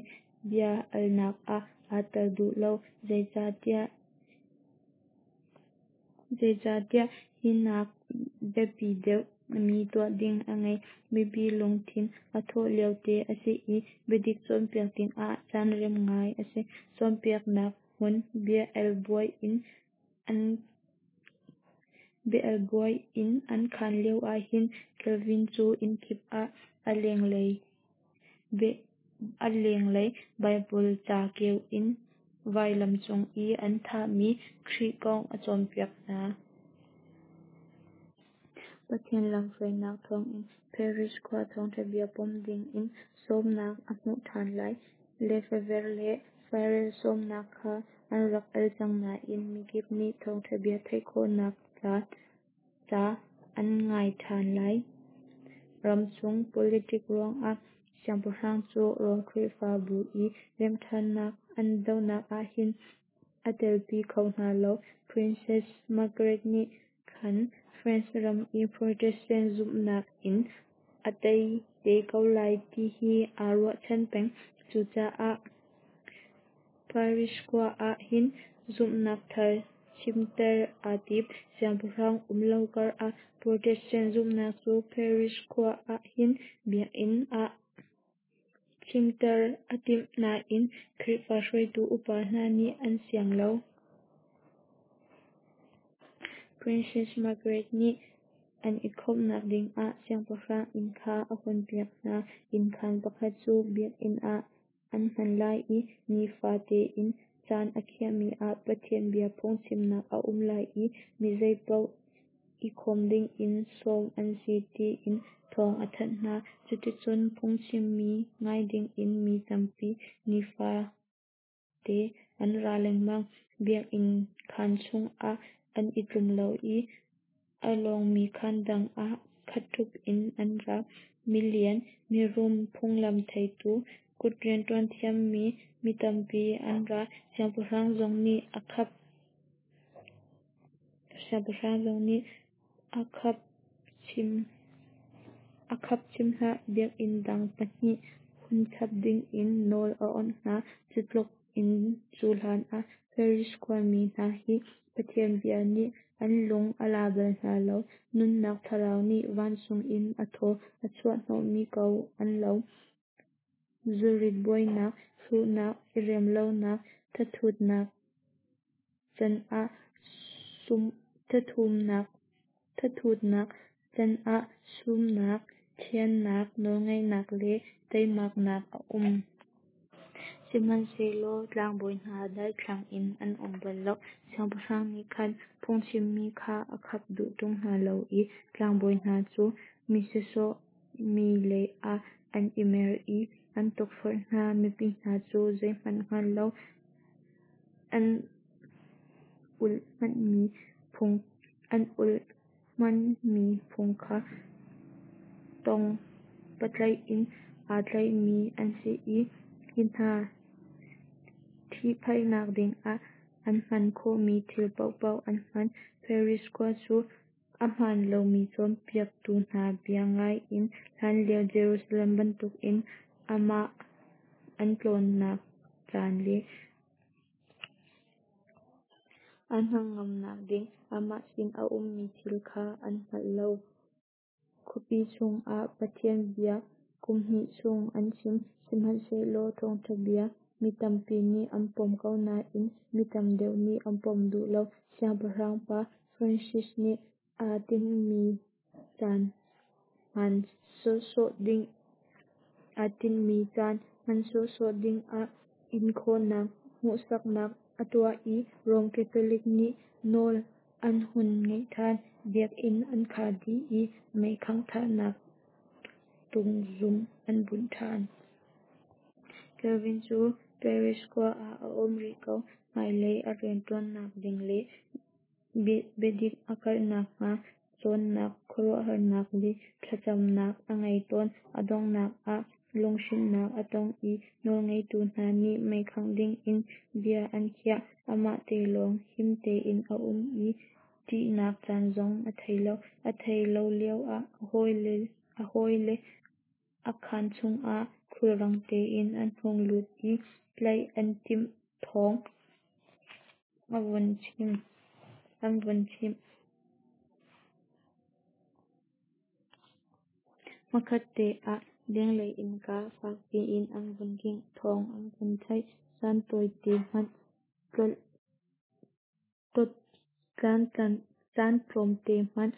bia alnak ah aa tel duh lo. Zeicahtiah hinak biapi deuh mi tuah ding a ngei. Mipi lungthin a thawh liote a si i biadik cawnpiak dingah caan rem ngai a si. Cawnpiaknak hmun bia al buai in an khan lio ahhin Calvin cu innkip ah a lenglei Baibal ca keu in vailam cung i an thahmi Khrih kong a cawnpiak hna. Pathian lamhruainak thawngin Paris khua thawngṭha bia pom dingin sawmnak a hmuh ṭhan lai. Lefevre le Farel sawmnak kha an rak al cang nain mikip nih thawngṭha bia theih khawhnak ca an ngai ṭhan lai. Ramchung politic ruangah siangpahrang cu Rom Khrihfabu i remhṭhannak an dohnak ahhin aa telpi kho hna lo. Princess Margaret nih khan France ram i Protestant zumhnak in a tei te ko lai ti hi aa ruahchan peng. Cucaah Paris khua ah hin zumhnak thar chimter aa tim. Siangpahrang um lo kar ah Protestant zumhnak cu Paris khua ah hin biakinn ah chimter a timh nain Khrihfa hruaitu upa hna nih an siang lo. Princess Margaret nih an i khawmhnak dingah siangpahrang inn kha a hunpiak hna. Innkhan pakhat cu biakinn ah an hman lai i nifa tein caan a khiahmi ah Pathian bia phungchimnak a um lai i mi zeipaoh i khawm dingin sawm an si tiin thawng a thanh hna. Cuticun phungchimmi ngai dingin mi tampi nifate an ra lengmang. Biakinn khaan chungah an i tlum lo i a lawngmi khaan dang ah khat ṭhup in an ra. Milian, mirum, phunglam theitu, kut rianṭuan thiammi mi tampi an ra. Siangpahrang zong nih a khap Siangpahrang zong nih a khap chim hlah, biakinn dang pahnih hun chap dingin nawl a awnh hna. Cu tluk in cu hlan ah Paris khuami hna hi Pathian bia nih an lung a la bal hna lo. Nunnak thlarau nih vancung in a thaw a chuah hnawhmi ko an lo. Zurit buainak, hruhnak, i remlonak, thathutnak can ah sumnak, thiannak, nawlngeihnak le teimaknak a um. Sihmanhsehlaw tlangbawi hna daithlang in an um bal lo. Siangpahrang nih khan phungchimmi kha a khap duh ṭung hna lo i tlangbawi hna cu mi sawsawh mi leiah an i mer i an tukforh hna. Mipi hna cu zeihmanh hngal lo, an ulh hmanmi phung kha tong patlaih in aa tlaihmi an si i hi hna ṭhihphaihnak dingah an hman khawhmi thil paohpaoh an hman. Paris khua cu ahmaan lomi cawnpiaktu hna bia ngai in hlanlio Jerusalem bantukin amah an tlawnnak caan le an hnangamnak ding amah sin a ummi thil kha an hngal lo. Khuapi chungah Pathian bia Kum hnih chung an chim. Sihmanhsehlaw thawngṭha bia mi tampi nih an pom ko nain mi tam deuh nih an pom duh lo. Siangpahrang pa Francis nih aa tinhmi caan hman sawhsawh ding aa tinhmi caan hman sawhsawh dingah inkhawhnak hmuhsaknak a tuah i Rom Catholic nih nawl an hun ngeih ṭhan. Biakinn an khar dih i mei khangh tungzung an bunh ṭhan. Calvin cu Paris khua ah a um rih ko. Hmailei a rianṭuannak ding le biadik a karhnak hnga cawnnak, khuaruahnak le thlacamnak a ngei tawn. A donghnak ah lunghrinnak a tong i nawlngeitu hna nih meikhangh dingin bia an khiah. Amah te lawng him tein a um i ṭihnak caan zong a thei lo. A theih lo lioah a hawile a khaan chungah khulrang tein an hung lut i tlaih an timh thawng an vun chimh. Hmakhatte ah lenglei innka fakpi in an vun kingh thawng an vun theih. Caan tawite hmanh caan tlawmte hmanh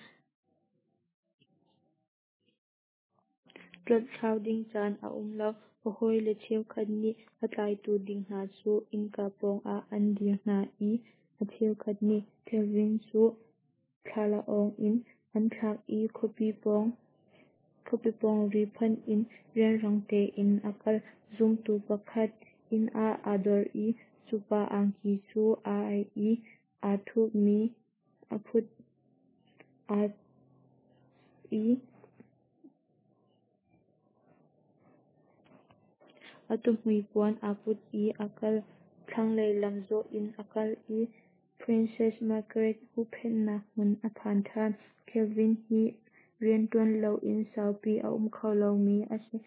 tlolhthlau ding caan a um lo. A hawile cheukhat nih a tlaitu ding hna cu innka pawngah an dir hna i a cheukhat nih Calvin cu thlalaawng in an thlak i khuapi pawng khuapi pawng ri phanh in rianrang tein a kal. Zumtu pakhat inn ah aa dor i cu pa angki cu aa aih i aa thupmi a phut aa i a tuhmui puan aa put i a kal. Thlanglei lam zawh in a kal i Princess Margaret huhphenhnak hmun a phan ṭhan. Calvin hi rianṭuan loin saupi a um kho lomi a si.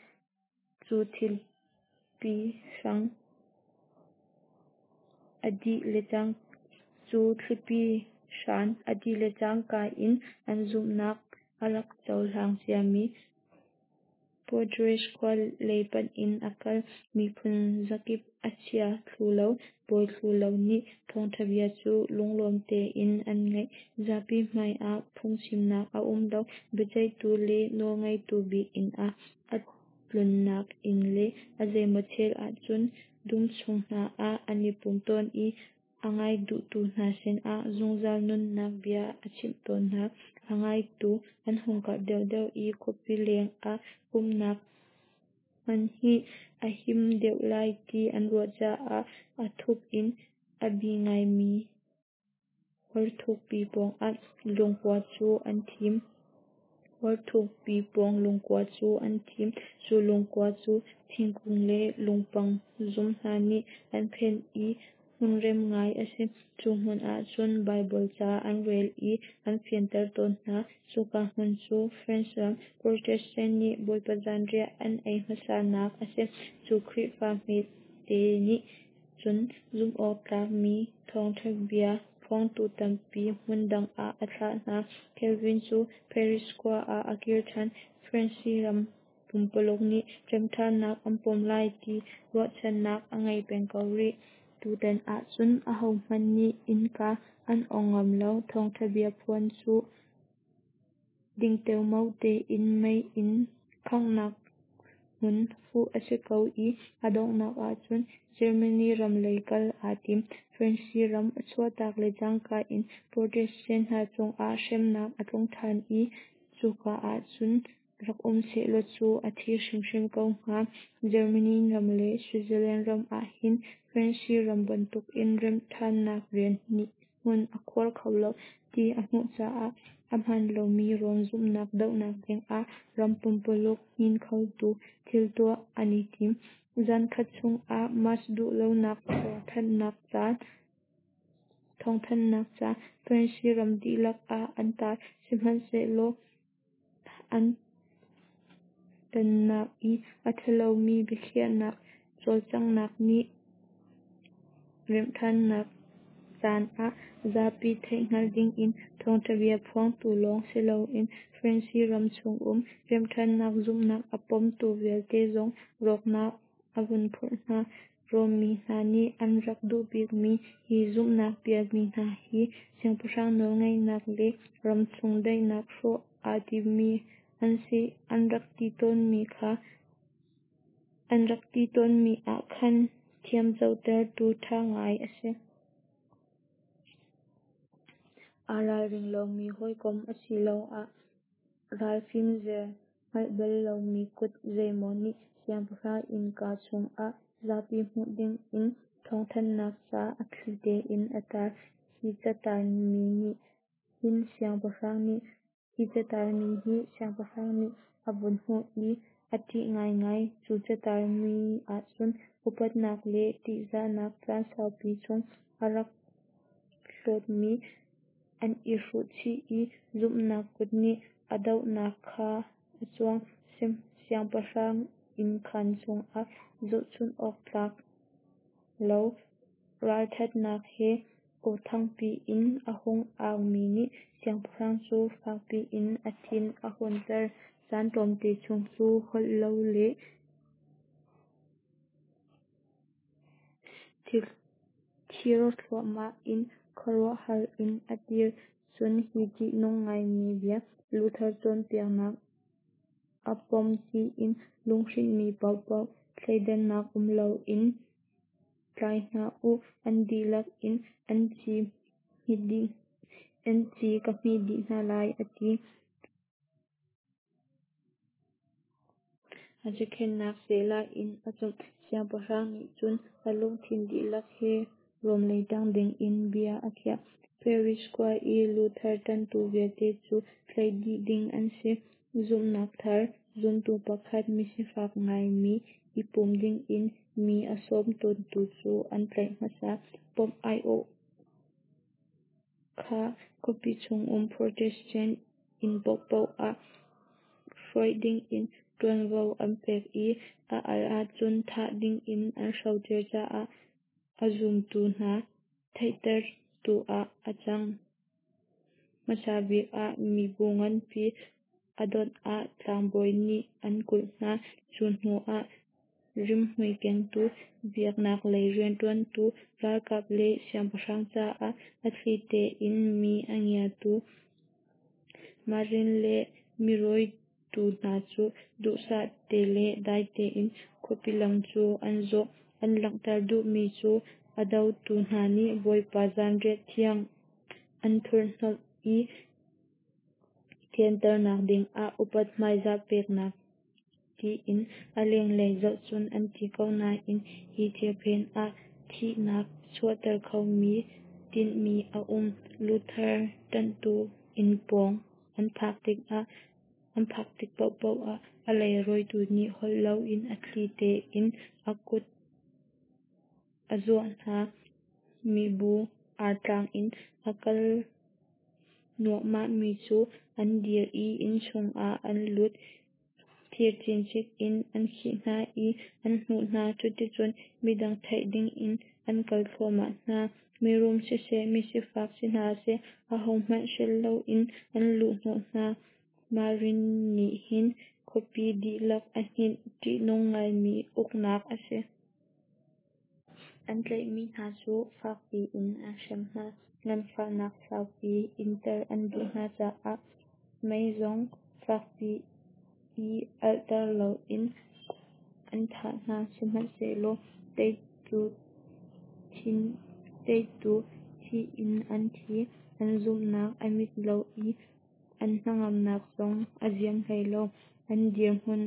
Cu thlipi hrang a dih le cu thlipi hran a dih le cangka in an zumhnak a rak cohlang ciami Poitiers khua lei panh in a kal. Miphun zakip a chia thlu lo, bawi thlu lo nih thawngṭha bia cu lunglawm tein an ngaih. Zapi hmaiah phungchimnak a um lo. Biaceihtu le nawlngeitu bik inn ah a tlunnak inn le a zeimaw chel ahcun dum chung hna ah an i pum tawn i a ngai duhtu hna sinah zungzal nunnak bia a chimh tawn hna. A ngaitu an hung karh deuhdeuh i khuapi lengah pumhnak hman hi a him deuh lai ti an ruah caah a thup in a bi ngaimi hor thukpi pawngah lungkua cu an thim. Hor thukpi pawng lungkua cu an thim. Cu lungkua cu thingkung le lungpang zum hna nih an phenh i hmunrem ngai a si. Cu hmun ah cun Baibal ca an rel i an fianter tawn hna. Cuka hmun cu France ram Protestant nih Bawipa zanriah an ei hmasanak a si. Cu Khrihfa hmete nih cun zumhawktlakmi thawngṭha bia phuangtu tampi hmun dang ah a thlah hna. Calvin cu Paris khua ah a kir ṭhan. France ram pumpaluk nih remṭhannak an pom lai ti ruahchannak a ngei peng ko rih. Tutan ahcun ahohmanh nih innka an ong ngam lo. Thawngṭha bia phuan cu ding teomao tein mei in khanghnak hmun fuh a si ko i a donghnak ahcun Germany ram lei kal aa tim. France ram a chuahtak le cangka in Protestant hna cungah hremnak a tlung ṭhan i cuka ahcun rak um sehlaw cu a thi hrimhrim ko hnga. Germany ram le Switzerland ram ahhin France ram bantukin remhṭhannak rian nih hmun a khuar kho lo ti a hmuh caah a hmaan lomi Rom zumhnak dohnak dingah ram pumpululh hnin khotu thil tuah an i tim. Zankhat chungah Mass duhlonak thawngthanhnak ca thawngthanhnak ca France ram dihlak ah an tar. Sihmanhsehlaw an tonnak i a ṭhalomi biakhiahnak cawlcanghnak nih remhṭhannak Caan ah zapi theihhngalh dingin thawngṭha bia phuangtu lawng siloin Fransi ram chungum remhṭhatnak zumhnak a pomtu vialte zong rawknak a vun phurh hna. Rom mi hna nih an rak duhbikmi hi zumhnak pialmi hna hi siangpahrang nawlngeihnak le ramchung daihnak hrawh aa timmi an si an rak ti tawnmi kha an rak ti tawnmi ah khan thiamcotertu ṭha ngai a si. Aa ralring lomi hawikom asiloah ral fimzer hngalh bal lomi kut zeimaw nih siangpahrang innka chungah zapi hmuh dingin thawngthanhnak ca a thli tein a tar. Hi catar mi nih hin siangpahrang nih Hi catar mi hi siangpahrang nih a vun hmuh i a ṭih ngaingai. Cu catar mi ahcun upatnak le ṭihzahnak caan saupi chung a rak hlawtmi an i hruh chih i zumhnak kut nih a dohnak kha a cuang. Siangpahrang innkhan chungah zohchunh awk tlak lo ralṭhatnak he aw thangpi in a hung aumi nih siangpahrang cu fakpi in a thin a hunter. Caan tlawmte chung cu holh lo le thir thluahmah in khuaruahhar in a dir. Cun hi ṭihnung ngaimi bia, Luther cawnpiaknak a pom tiin lunghrinhmi paohpaoh thleidannak um loin tlai hna u, an dihlak in an ci ka hmih dih hna lai, a ti. A cakhenh seh lai in a cumh. Siangpahrang nih cun a lungthin dihlak he Rom lei ṭang dingin bia a khiah. Paris khua i Luther ṭanhtu vialte cu tlaih dih ding an si. Zumhnak thar zumtu pakhat misifak ngaimi i pum dingin mi a sawm tawntu cu an tlaih hmasa. Pope aiawh kha khuapi chungum Protestant inn paohpaoh ah hruai dingin ṭuanvo an pek i a al ahcun thah dingin an hrocer caah a zumtu hna theihtertu ah a cang. Hmasa bik ah mibu nganpi a dot ah tlangbawi nih an kulh hna. Cu hnu ah rimhmui kengtu, biaknak lei rianṭuantu, ralkap le siangpahrang caah a thli tein mi a ngiatu Marin le mirawitu hna cu duhsah te le dai tein khuapi lam cu an zawh. An langhter duhmi cu a dotu hna nih Bawipa Zanriah Thiang an thurhhnawmh i thianternak dingah upat hmaizah peknak tiin a lenglei zoh cun an ti ko nain hi thil phen ah thihnak chuahter khomi tinhmi a um. Luther ṭanhtu inn pawng an phak tikah an phak tik paohpaoh ah a leirawitu nih holh loin a thli tein a kut a zuah hna. Mibu artlang in a kal nuahmahmi cu an dir i inn chungah an lut. Thir cincik in an khih hna i an hnuh hna. Cuticun midang theih dingin an kal thluahmah hna. Mirum siseh, misifak si hna seh, ahohmanh hrelh loin an luhhnawh hna. Marin nih hin khuapi dihlak a hninh. Ṭihnung ngaimi uknak a si. An tlaihmi hna cu fakpi in an hrem hna. Nganfahnak saupi inter an duh hna caah mei zong fakpi i alhter loin an thah hna. Sihmanhsehlaw teitu teitu thih in an thi. An zumhnak a mit lo i an hnangamnak zong a ziam hlei lo. An dirhmun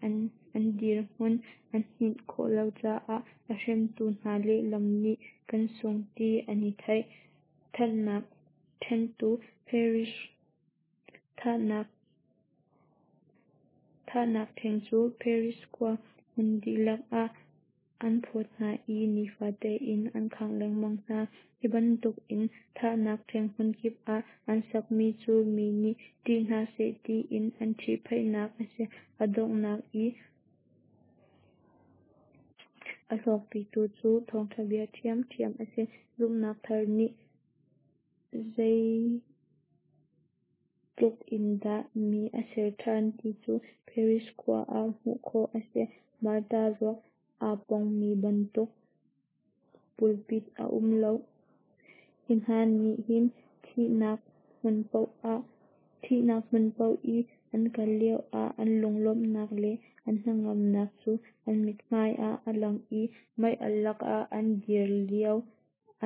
an an dirhmun a hninh khawh lo caah a hremtu hna lehlam nih kan sung ti an i theih. Thatnak ṭhentu Paris Thahnak Thahnak ṭheng cu Paris khua hmun dihlak ah an phawt hna i nifate in an khangh lengmang hna. Hi bantukin thahnak ṭheng hmunkip ah an sakmi cu mi nih ṭih hna seh tiin an ṭhihphaihnak a si. A donghnak i A hlawkpitu cu thawngṭha bia ṭhiamṭhiam a si. Zumhnak thar nih zeitlukindah mi a ser ṭhan ti cu Paris khua ah hmuh khawh a si. Martyr ruak aa pongmi bantuk pulpit a um lo. Hi hna nih hin thihnak hmun paoh i an kal lioah an lunglawmhnak le an hnangamnak cu an mithmai ah a lang i mei-alh lakah an dir lio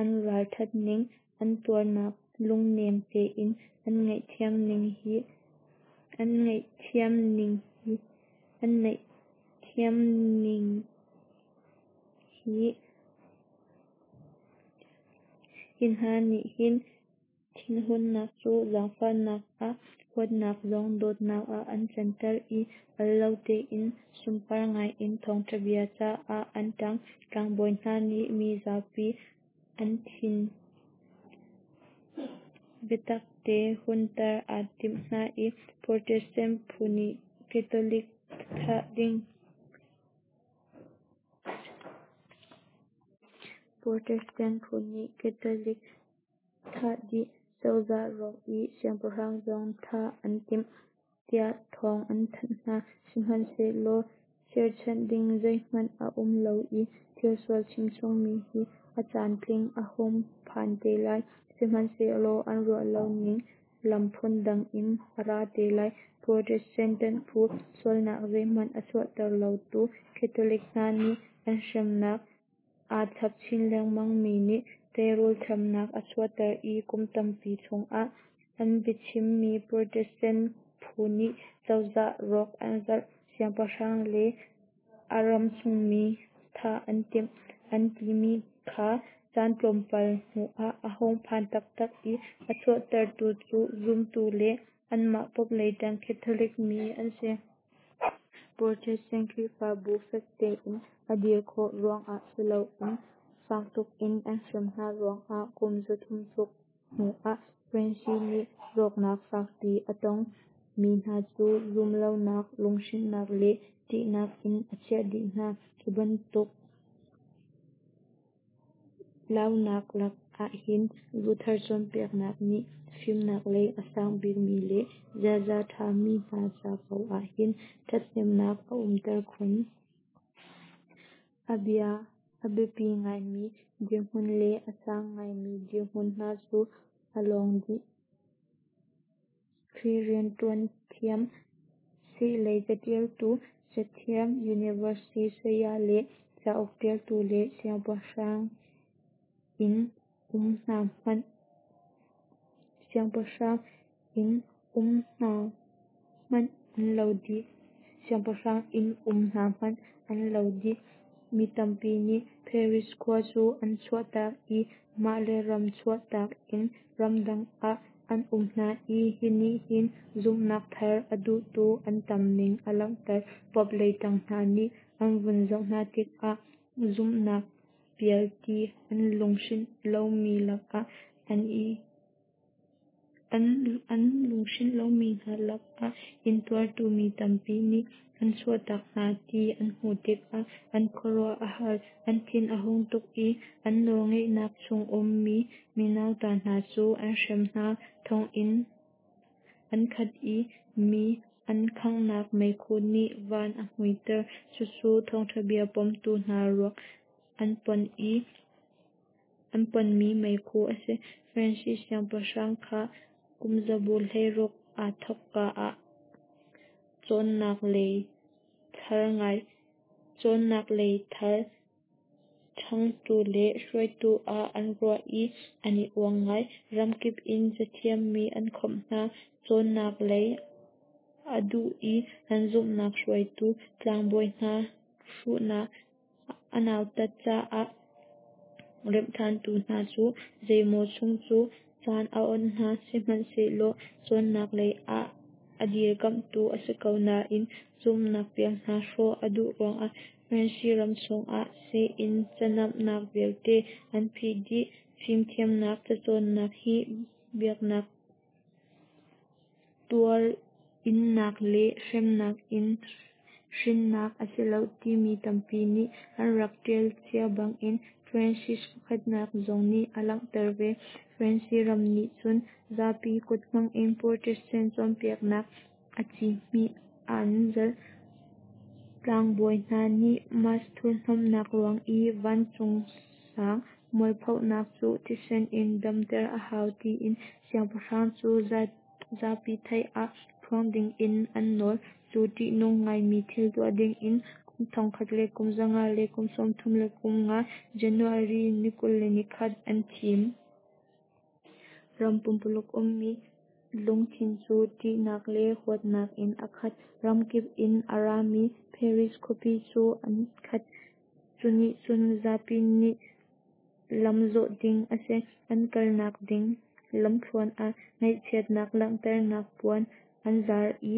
an ralṭhat ning, an tuarnak lungnem tein an ngaihthiam ning hi an ngaihthiam ning hi an ngaihthiam ning hi Hi hna nih hin thinhunnak cu zaangfahnak ah, huatnak zong dawtnak ah an canter i al lo tein sunpar ngai in thawngṭha bia caah an ṭang. Tlangbawi hna nih mizapi an thin biatak te hunter a timh hna i Protestant phu nih Catholic thah ding Protestant phu nih Catholic thah dih, cozah rawk i siangpahrang zong thah an timh, tiah thawng an thanh hna. Sihmanhsehlaw cherhchanh ding zeihmanh a um lo i thilsual chimchungmi hi a caantling a hung phan te lai, sihmanhsehlaw an ruah lo ning lam phundang in a ra te lai. Protestant phu sualnak zeihmanh a chuahter lotu Catholic hna nih an hremnak aa chap chin lengmang mi nih teirul chamnak a chuahter i kum tampi chungah an biachimmi Protestant phu nih cozah rawk an zalh, siangpahrang le a ramchungmi thah an timh, an timi kha caan tlawmpal hnuah a hung phan taktak i a chuahtertu cu zumtu le anmah Pope lei ṭang Catholic mi an si. Protestant Khrihfabu fek tein a dir khawh ruangah si loin fak tukin an hrem hna ruangah kum zathum tluk hnuah Francis nih rawknak fakpi a tong. Mi hna cu zumhlonak, lunghrinnak le ṭihnak in a chiah dih hna. Hi bantuk launak lakah hin Luther cawnpiaknak nih fimnak lei a sang bikmi le ziaza ṭha mi hna ca ko ah hin ṭhathnemnak a umter khun. A biapi ngaimi dirhmun le a sang ngaimi dirhmun hna cu a lawng dih. Khrih rianṭuan thiam, siilei caṭialtu, cathiam, university saya le cauk ṭialtu le siangpahrang inn um hna hmanh siangpahrang inn um hna hmanh an lo dih. Siangpahrang inn um hna hmanh an lo dih. Mi tampi nih Paris khua cu an chuahtak i mah le ram chuahtak in ramdang ah an um hna i hi nih hin zumhnak thar a duhtu an tam ning a langhter. Pope lei ṭang hna nih an vun zoh hna tikah zumhnak pial ti an lunghrinh lomi lakah an i an lunghrinh lomi hna lakah intuartu mi tampi nih an chuahtak hna ti an hmuh tikah an khuaruah a har. An thin a hung tuk i an nawlngeihnak chung ummi mi nauta hna cu an hrem hna. Thonginn an khat i mi an khanghnak meikhu nih van a muihter. Cucu thawngṭha bia pomtu hna ruak an pon i an ponmi meikhu a si. Francis siangpahrang kha kumzabu hleiruk aa thawkka ah cawnnak lei thar ngai cawnnak lei thar ṭhanghtu le hruaitu ah an ruah i an i uang ngai. Ramkip in cathiam mi an khawmh hna. Cawnnak lei a duh i an zumhnak hruaitu tlangbawi hna hruhnak a nautat caah remhṭhantu hna cu zeimaw chung cu caan a awnh hna. Sihmanhsehlaw cawnnak lei ah a dirkamhtu a si ko nain zumhnak pial hna hrawh a duh ruangah Francis ram chungah sii-inn canamnak vialte an phih dih. Fimthiamnak cacawnnak hi biaknak tuar-innak le hremnak in Hrinnak a si lo timi tampi nih an rak tial cia bangin Francis pakhatnak zong nih a langhter ve. France ram nih cun zapi kut hmangin Protestant cawnpiaknak a ci hmih an zalh. Tlangbawi hna nih Mass thurhnomhnak ruang i vancung sang mualphonak cu thisen in damter a hau tiin siangpahrang cu zapi theih ah phuang dingin an nawl. Cu ṭihnung ngaimi thil tuah dingin kum thongkhat le kum zanga le kum sawmthum le kum nga January ni kul le nikhat an thim. Ram pumpuluk ummi lungthin cu ṭihnak le huatnak in a khat. Ramkip in a rami Paris khuapi cu an khat. Cunih cun zapi nih lamzawh ding a si. An kalnak ding lamthluan ah ngaihchiatnak langhternak puan an zar i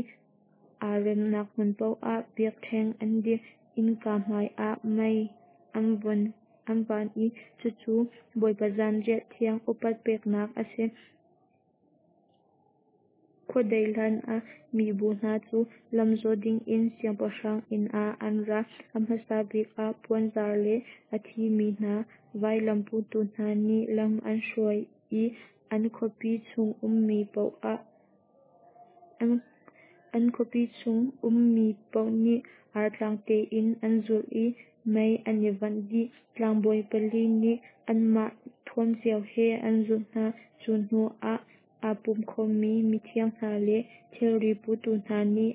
aa remnak hmun paoh ah biakṭheng an dirh. Innka hmai ah mei an van i cucu Bawipa Zanriah Thiang upat peknak a si. Khuadei hlanah mibu hna cu lamzawh dingin siangpahrang inn ah an ra. A hmasa bik ah puanzar le a thimi hna vailam putu hna nih lam an hruai i an khuapi chung ummi paoh nih artlang tein an zulh i mei an i vanh dih. Tlangbawi pali nih anmah thuam cio he an zulh hna. Cu hnu ah aa pum khawmmi mithiang hna le thilri putu hna nih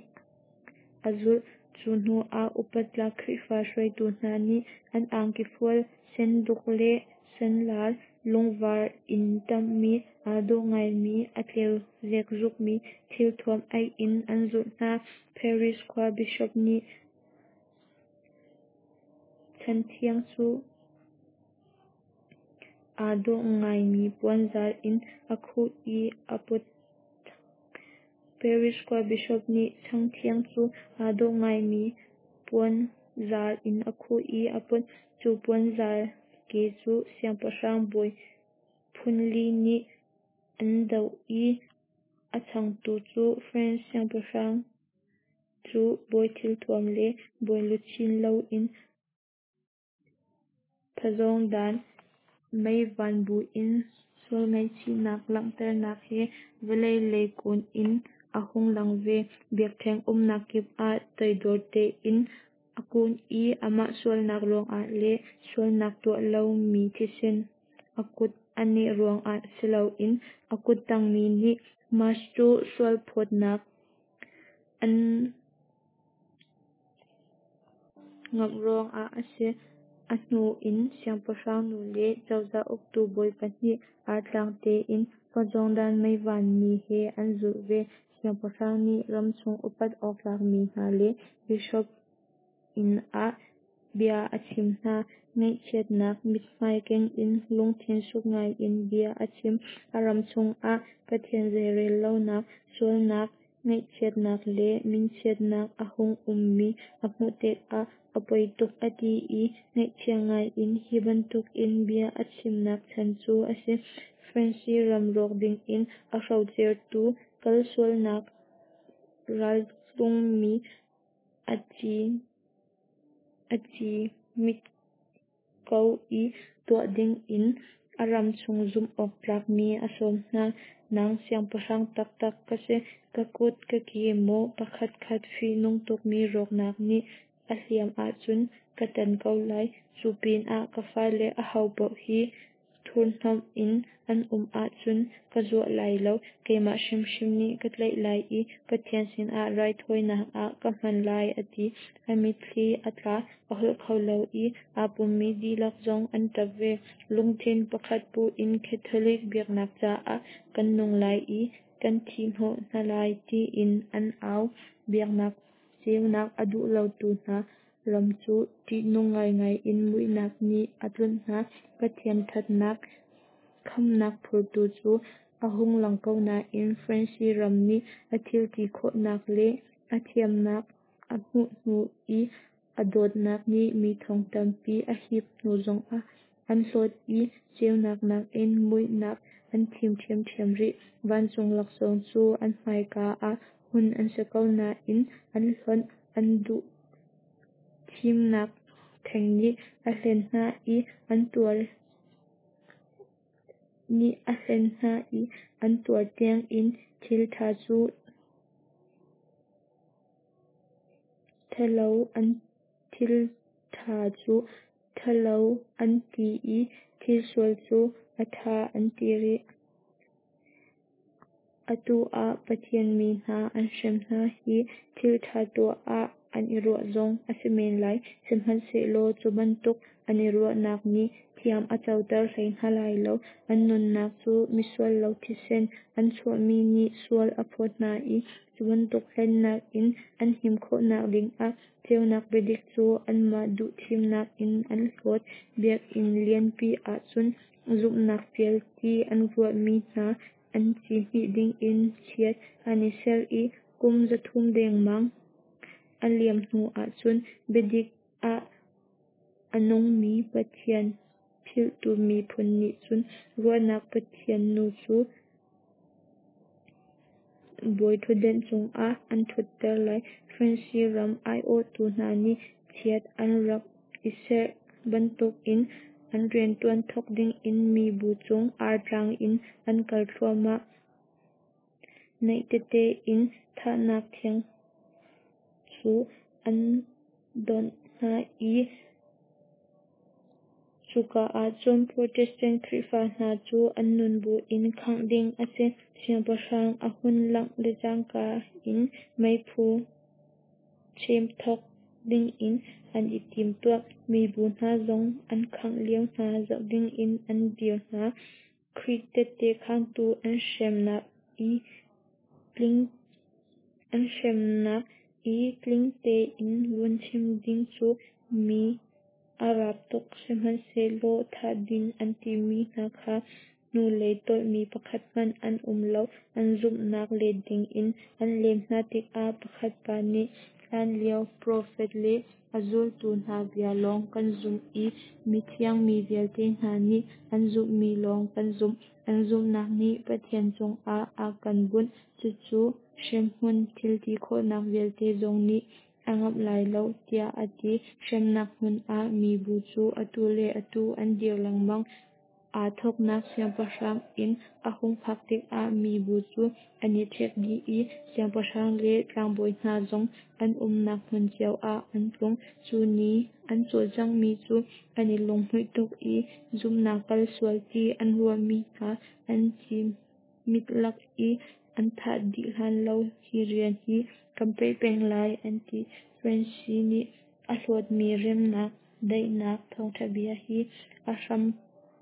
a zulh. Cu hnu ah upattlak Khrihfa hruaitu hna nih an angki fual senduk le senlar lungvar in ṭamhmi aa dawh ngaimi a tleu zekzukmi thilthuam aih in an zulh hna. Paris khua bishop nih chanthiang cu aa dawh ngaimi puanzar in a khuh i a put. Paris khua bishop nih changthiang cu aa dawh ngaimi puanzar in a khuh i a put. Cu puanzar ke cu siangpahrang bawi phunli nih an doh i a changtu cu France siangpahrang cu bawi thilthuam le bawi luchin loin phazawngdan meivan buin sual ngaihchihnak langhternak he vawlei lei kun in a hung lang ve. Biakṭheng umnak kip ah toidor tein a kun i amah sualnak ruangah le sualnak tuah lomi thisen a kut a neh ruangah si loin a kut tangmi nih Mass cu sualphawtnak an ngamh ruangah a si. A hnu in siangpahrang nu le cozah uktu bawi pahnih artlang tein phazawngdan meivan mi he an zulh ve. Siangpahrang nih ramchung upat awk tlakmi hna le bishop inn ah bia a chim hna. Ngaihchiatnak mithmai keng in lungthin suk ngaiin bia a chim. A ram chungah Pathian zeirel lonak, sualnak, ngaihchiatnak le minchiatnak a hung ummi a hmuh tikah a poi tuk a ti i ngaihchia ngaiin hi bantukin bia a chimnak chan cu a si. France ram rawk dingin a hrocertu kalsualnak raltlungmi a ci hmit ko i tuah dingin a ram chung zumh awk tlakmi a sawm hna. Nang siangpahrang taktak ka si. Ka kut ka ke maw pakhatkhat fihnung tukmi rawknak nih a hliam ahcun ka tan ko lai. Cu pinah ka fale ahopaoh hi thurhnomh in an um ahcun ka zuah lai lo. Keimah hrimhrim nih ka tlaih lai i Pathian sinah raithawinak ah ka hman lai a ti. A mitthli a tla, a holh kho lo i aa pummi dihlak zong an ṭap ve. Lungthin pakhat pu in Catholic biaknak caah kan nung lai i kan thihhnawh hna lai tiin an au. Biaknak ceunak a duh lotu hna ram cu ṭihnung ngaingai in muihnak nih a tlunh hna. Pathian ṭhatnak khamhnak phurtu cu a hung lang ko nain France ram nih a thil ti khawhnak le a thiamnak a hmuh hnu i a dawtnak nih mi thong tampi a hip hnu zongah an hlawt i ceunak nakin muihnak an thim ṭhiamṭhiam rih. Vancung laksawng cu an hmaika ah hun an si ko nain an hlonh, an duh Thimnak theng nih a hlen hna i an tuar nih a hlen hna i an tuar tiangin thil ṭha cu ṭhalo an thil ṭha cu ṭhalo an ti i thil sual cu a ṭha an ti rih. Atu ah Pathian mi hna an hrem hna hi thil ṭha tuah ah an i ruah zong a si men lai, sihmanhsehlaw cu bantuk an i ruahnak nih thiam a coter hlei hna lai lo. An nunnak cu misual lo thisen an chuahmi nih sual a phawt hna i cu bantuk hlennak in an him khawhnak dingah ceunak biadik cu anmah duh thimnak in an hlawt. Biakinn lianpi ah cun zumhnak pial ti an ruahmi hna an ci hmih dingin chiat an i serh i kum zathum dengmang a liam hnuah cun biadik ah a nungmi Pathian philhtu miphun nih cun ruahnak pathian nu cu bawiṭhutdan cungah an ṭhutter lai. Fransi ram aiawhtu hna nih chiat an rak i serh bantukin an rianṭuan thawk dingin mibu cung artlang in an kal thluahmah. Naih tete in thahnak theng cu an donh hna i cuka ah cun Protestant Khrihfa hna cu an nun buin khangh ding a si. Siangpahrang a hun langh le cangka in meiphu chem thawk dingin an i timtuah. Mibu hna zong an khangh lio hna zoh dingin an dir hna. Khrih tehte khangtu an hremnak i tling an hremnak i tling tein vun chim ding cu mi a rap tuk, sihmanhsehlaw thah ding an timi hna kha hnulei tolhmi pakhat hmanh an um lo. An zumhnak let dingin an lem hna tikah pakhat pa nih, "Hlanlio profet le a zultu hna bia lawng kan zumh i mithiang mi vialte hna nih an zumhmi lawng kan zumh. Kan zumhnak nih Pathian cungah a kan bunh, cucu hremhmun thilti khawhnak vialte zong nih a ngamh lai lo," tiah a ti. Hremnak hmun ah mibu cu atu le atu an dir lengmang. Aa thawknak siangpahrang inn a hung phak tikah mibu cu an i ṭhek dih i siangpahrang le tlangbawi hna zong an umnak hmun cio ah an tlung. Cu ni an cawlcanghmi cu an i lunghmuih tuk i zumhnak kal sual ti an ruahmi hna an ci hmit lak i an thah dih hlan lo hi rian hi kan peh peng lai, an ti. Fransi nih a hlawtmi remnak, daihnak thawngṭha bia hi a hram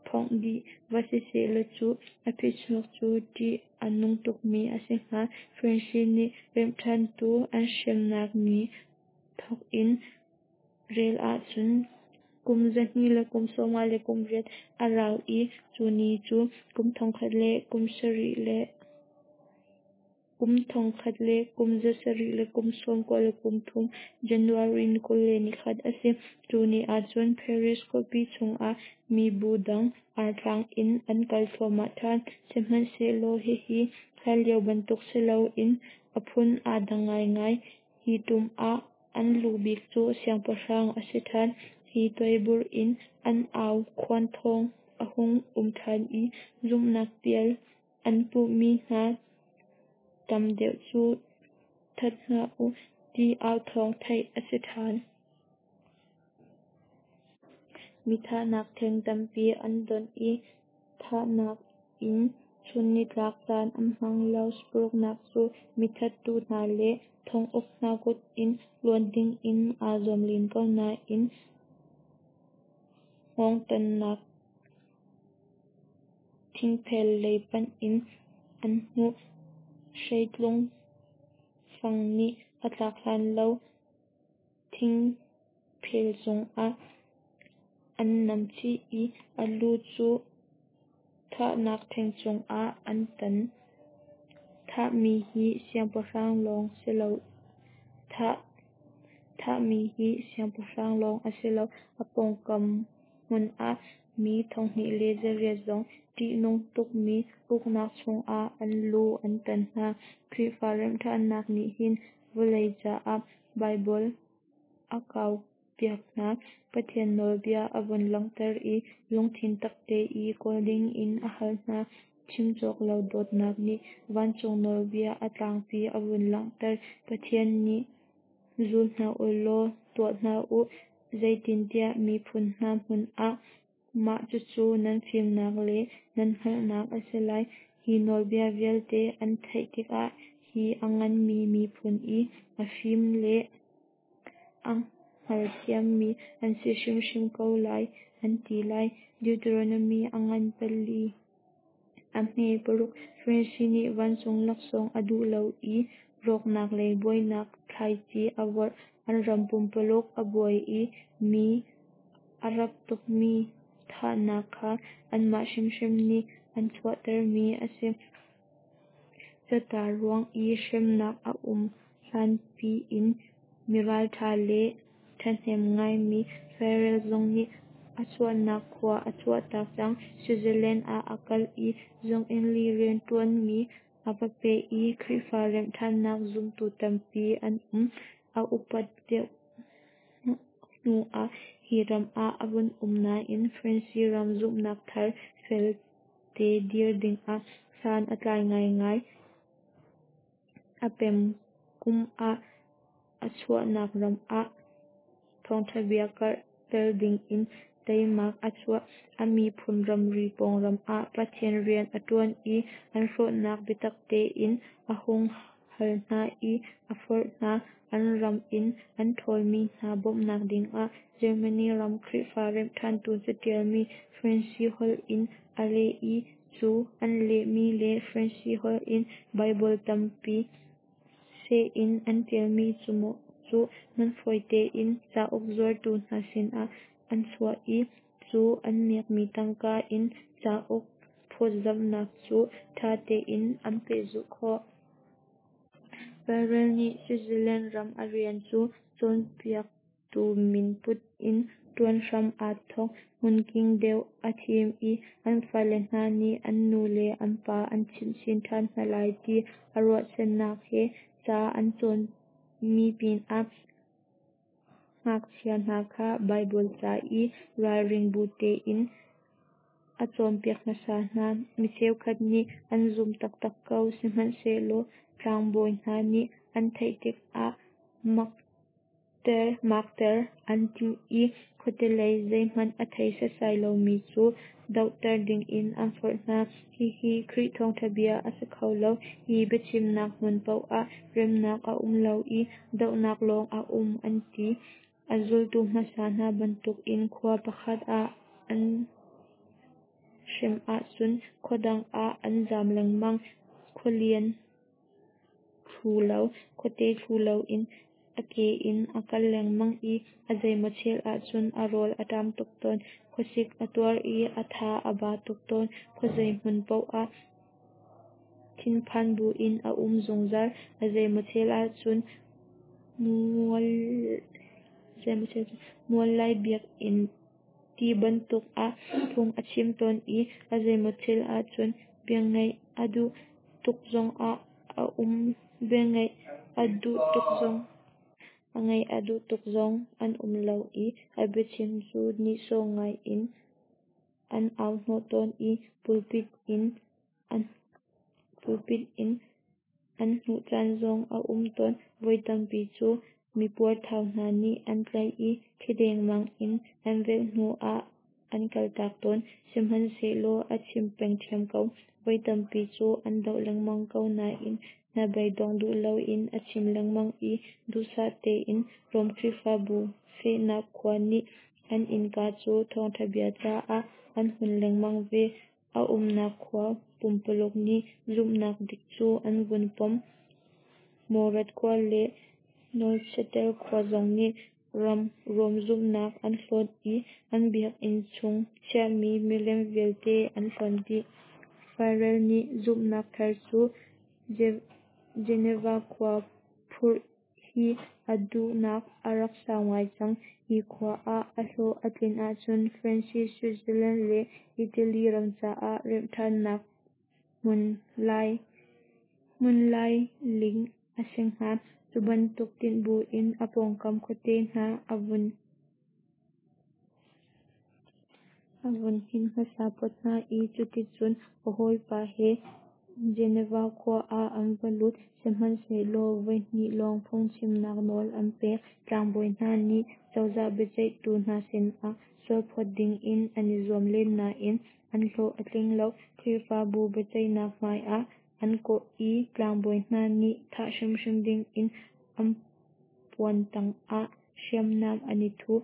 phongh dih va sisehlaw cu a phichuak cu ṭih a nung tukmi a si hnga. Fransi nih remhṭhantu an hremnak ni thawk in rel ahcun kum zahnih le kum sawmnga le kum riat a rau i cu ni cu kum thongkhat le kum sarih le kum thongkhat le kum zasarih le kum sawmkua le kum thum January ni kul le nikhat a si. Cu ni ahcun Paris khuapi chungah mibu dang artlang in an kal thluahmah ṭhan. Sihmanhsehlaw hihi hlanlio bantuk si loin a phun aa dang ngaingai. Hi tum ah an lu bik cu siangpahrang a si ṭhan. Hi tuaibur in an au khuan thawng a hung um ṭhan i zumhnak pial an puhmi hna tam deuh cu that hna u ti au thawng theih a si ṭhan. Mi thahnak theng tampi an donh i thahnak in chunnitlak caan an hmang lo. Paruknak cu mithattu hna le thonguk hna kut in luat dingin aa zuam len ko nain hngawngtannak thingphel lei panh in an hnuh. Hreitlung fang nih a tlak hlan lo thingphel cungah an nam chih i a lu cu thahnak theng cungah an tan. Thahmi hi siangpahrang lawng si lo thah thahmi hi siangpahrang lawng a si lo, a pawngkam hmun ah mi thonghnih le zariat zong ṭihnung tukmi uknak chungah an lu an tan hna. Khrihfa remhṭhannak nih hin vawlei caah Baibal a kaupi. piak hna. Pathian nawlbia a vun langhter i lungthin takte i kawl dingin a hal hna. Chim cawk lo dawtnak nih vancung nawlbia a tlangpi a vun langhter. Pathian nih zul hna u law tuah hna u, zeitintiah miphun hna hmun ah mah cucu nan fimnak le nan hngalhnak a si lai. Hi nawlbia vialte an theih tikah hi a nganmi miphun i a fim le a hngalthiammi an si hrimhrim ko lai, an ti lai. Deuteronomy a ngan pali a hme paruk. Francis nih vancung laksawng a duh lo i rawknak le buainak thlaici a vorh. An ram pumpululuk a buai i mi a rap tukmi thahnak kha anmah hrimhrim nih an chuahtermi a si. Catar ruang i hremnak a um hlanpi in miralṭha le ṭhahnem ngaimi Farel zong nih a chuahnak khua a chuahtak cang. Switzerland ah a kal i zunginn i rianṭuanmi a va peh i Khrihfa remhṭhannak zumtu tampi an um. A upat deuh hnu ah hi ram ah a vun um nain France ram zumhnak thar felte dir dingah san a tlai ngaingai. A pem kum ah a chuahnak ram ah thawngṭha bia karhter dingin teimak a chuah. A miphun ramri pawng ram ah Pathian rian a ṭuan i an hrawhnak biatak tein a hung hal hna i a forh hna. An ram in an ṭhawlmi hna bawmhnak dingah Germany ram Khrihfa remhṭhantu caṭialmi French holh in a leh i cu an lehmi le French holh in Baibal tampi seh in an ṭialmi cu man fawi tein cauk zuartu hna sinah an chuah i cu an miakmi tangka in cauk phawtzamhnak cu ṭha tein an pehzulh khawh. Farel nih Switzerland ram a rian cu cawnpiaktu min put in ṭuan hram aa thawk. Hmunking deuh a thim i an fale hna nih an nu le an pa an chimhchin ṭhan hna lai ti a ruahchannak he ca an cawnmi pinah ngakchia hna kha Baibal ca i ralring bu tein a cawnpiak hmasa hna. Mi cheukhat nih an zumh taktak ko, sihmanhsehlaw tlangbawi hna nih an theih tikah makter an timh i khuatelei zeihmanh a thei setsai lomi cu dohter dingin an forh hna. Hihi Khrih thawngṭha bia a si kho lo. Hi biachimnak hmun paoh ah remnak a um lo i dohnak lawng a um, an ti. A zultu hmasa hna bantukin khua pakhat ah an hrem ahcun khua dang ah an zam lengmang. Khualian thlu lo, khuate thlu loin a ke in a kal lengmang i a zeimaw chel ahcun a rawl a ṭam tuk tawn. Khuasik a tuar i a tha a ba tuk tawn. Khuazei hmun paoh ah thinphan buin a um zungzal. A zeimaw chel ahcun mual lai biakinn ti bantuk ah phung a chim tawn i a zeimaw chel ahcun bia ngaih a duh tuk zongah a um bia ngaih a duh tuk zong a ngaih a duh tuk zong an um lo i a biachim cu nihsawh ngai in an au hnawh tawn i pulpit in an pulpit in an hnuh caan zong a um tawn. Voi tampi cu mipuarthau hna nih an tlaih i thi dengmang in an velh hnu ah an kaltak tawn. Sihmanhsehlaw a chim peng ṭhiam ko. Voi tampi cu an doh lengmang ko nain hnabei dong duh loin a chim lengmang i duhsah tein Rom Khrihfabu fehnak khua nih an innka cu thawngṭha bia caah an hun lengmang ve. A umnak khua pumpululuk nih zumhnak dik cu an vun pom. Morat khua le Neuchâtel khua zong nih Rom zumhnak an hlawt i an biakinn chung chiahmi milem vialte an hlonh dih. Farel nih zumhnak thar cu Geneva khua phurh hi a duhnak a rak sau ngai cang. Hi khua ah a hlawh a tlin ahcun France, Switzerland le Italy ram caah remhṭhannak hmun lailing a si hnga. Cu bantuk tinh buin a pawngkam khuate hna a vun A vun hnin hmasa phot hna i cuticun a hawipa he Geneva khua ah an va lut. Sihmanhsehlaw voi hnih lawng phungchimnak nawl an pek. Tlangbawi hna nih cozah biaceihtu hna sinah sualphawt dingin an i zuam len nain an hlawh a tling lo. Khrihfabu biaceihnak hmaiah an kawh i tlangbawi hna nih thah hrimhrim dingin an puan tangah hriamnam an i thuh.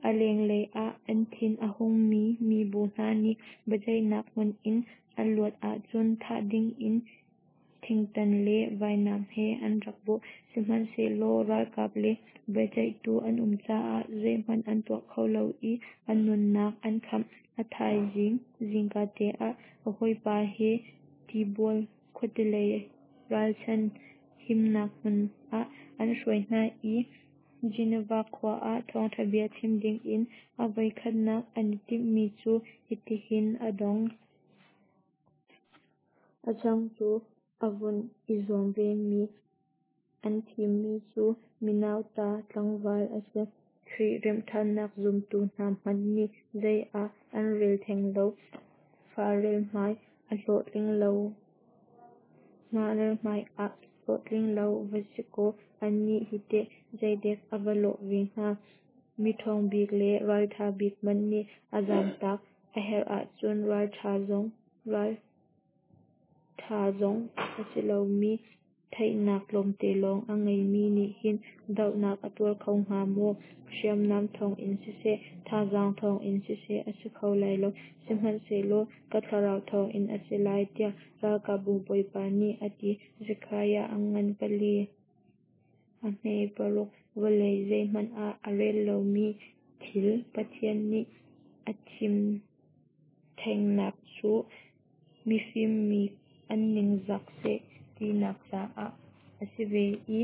A lenglei ah an thin a hungmi mibu hna nih biaceihnak hmun in a luat ahcun thah dingin thingtan le vainam he an rak bawh. Sihmanhsehlaw ralkap le biaceihtu an um caah zeihmanh an tuah kho lo i an nunnak an khamh. A thaizing zingkate ah a hawipa he Tibual khuatelei ralchan himnak hmun ah an hruai hna i Geneva khua ah thawngṭha bia chim dingin a voikhatnak an i timhmi cu hitihin a dong. A changtu a vun i zuam vemi an thimmi cu minauta tlangval a si. Khrih remhṭhannak zumtu hna hmanh nih zei ah an rel theng lo. Farel hmai a hlawhtling lo hmai ah hlawhtling lo va si kaw annih hi teh zeidek a va lawh ve hnga. Miṭhawng bik le ralṭha bik hmanh nih a zaamtak a herh ahcun ralṭha zong ralṭha zong a si lomi, theihnak tlawmte lawng a ngeimi nih hin dohnak a tuar kho hnga maw? Hriamnam thawngin siseh, thazaang thawngin siseh a si kho lai lo, sihmanhsehlaw ka Thlarau thawngin a si lai, tiah ralkapbu Bawipa nih a ti. Zekhariah a ngan pali, a hme paruk. Vawlei zeihmanh ah a rel lomi thil Pathian nih a thim thengnak cu mifim mi an ningzak seh tinak caah a si ve i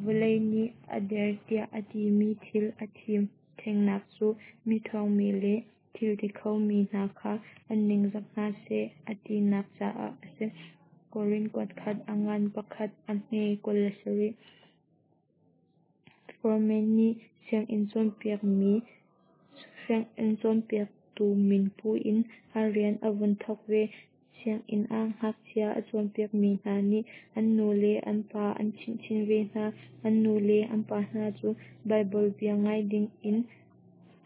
vawlei nih a der tiah a timi thil a thim thengnak cu miṭhawngmi le thil ti khomi hna kha an ningzak hna seh a tinak caah a si. Korin kuatkhat a ngan pakhat a hme kul le sarih. Foreman nih sianginn cawnpiakmi sianginn cawnpiaktu min pu in a rian a vun thawk ve. Sianginn ah ngakchia a cawnpiakmi hna nih an nu le an pa an chimh ve hna. An nu le an pa hna cu Baibal bia ngai dingin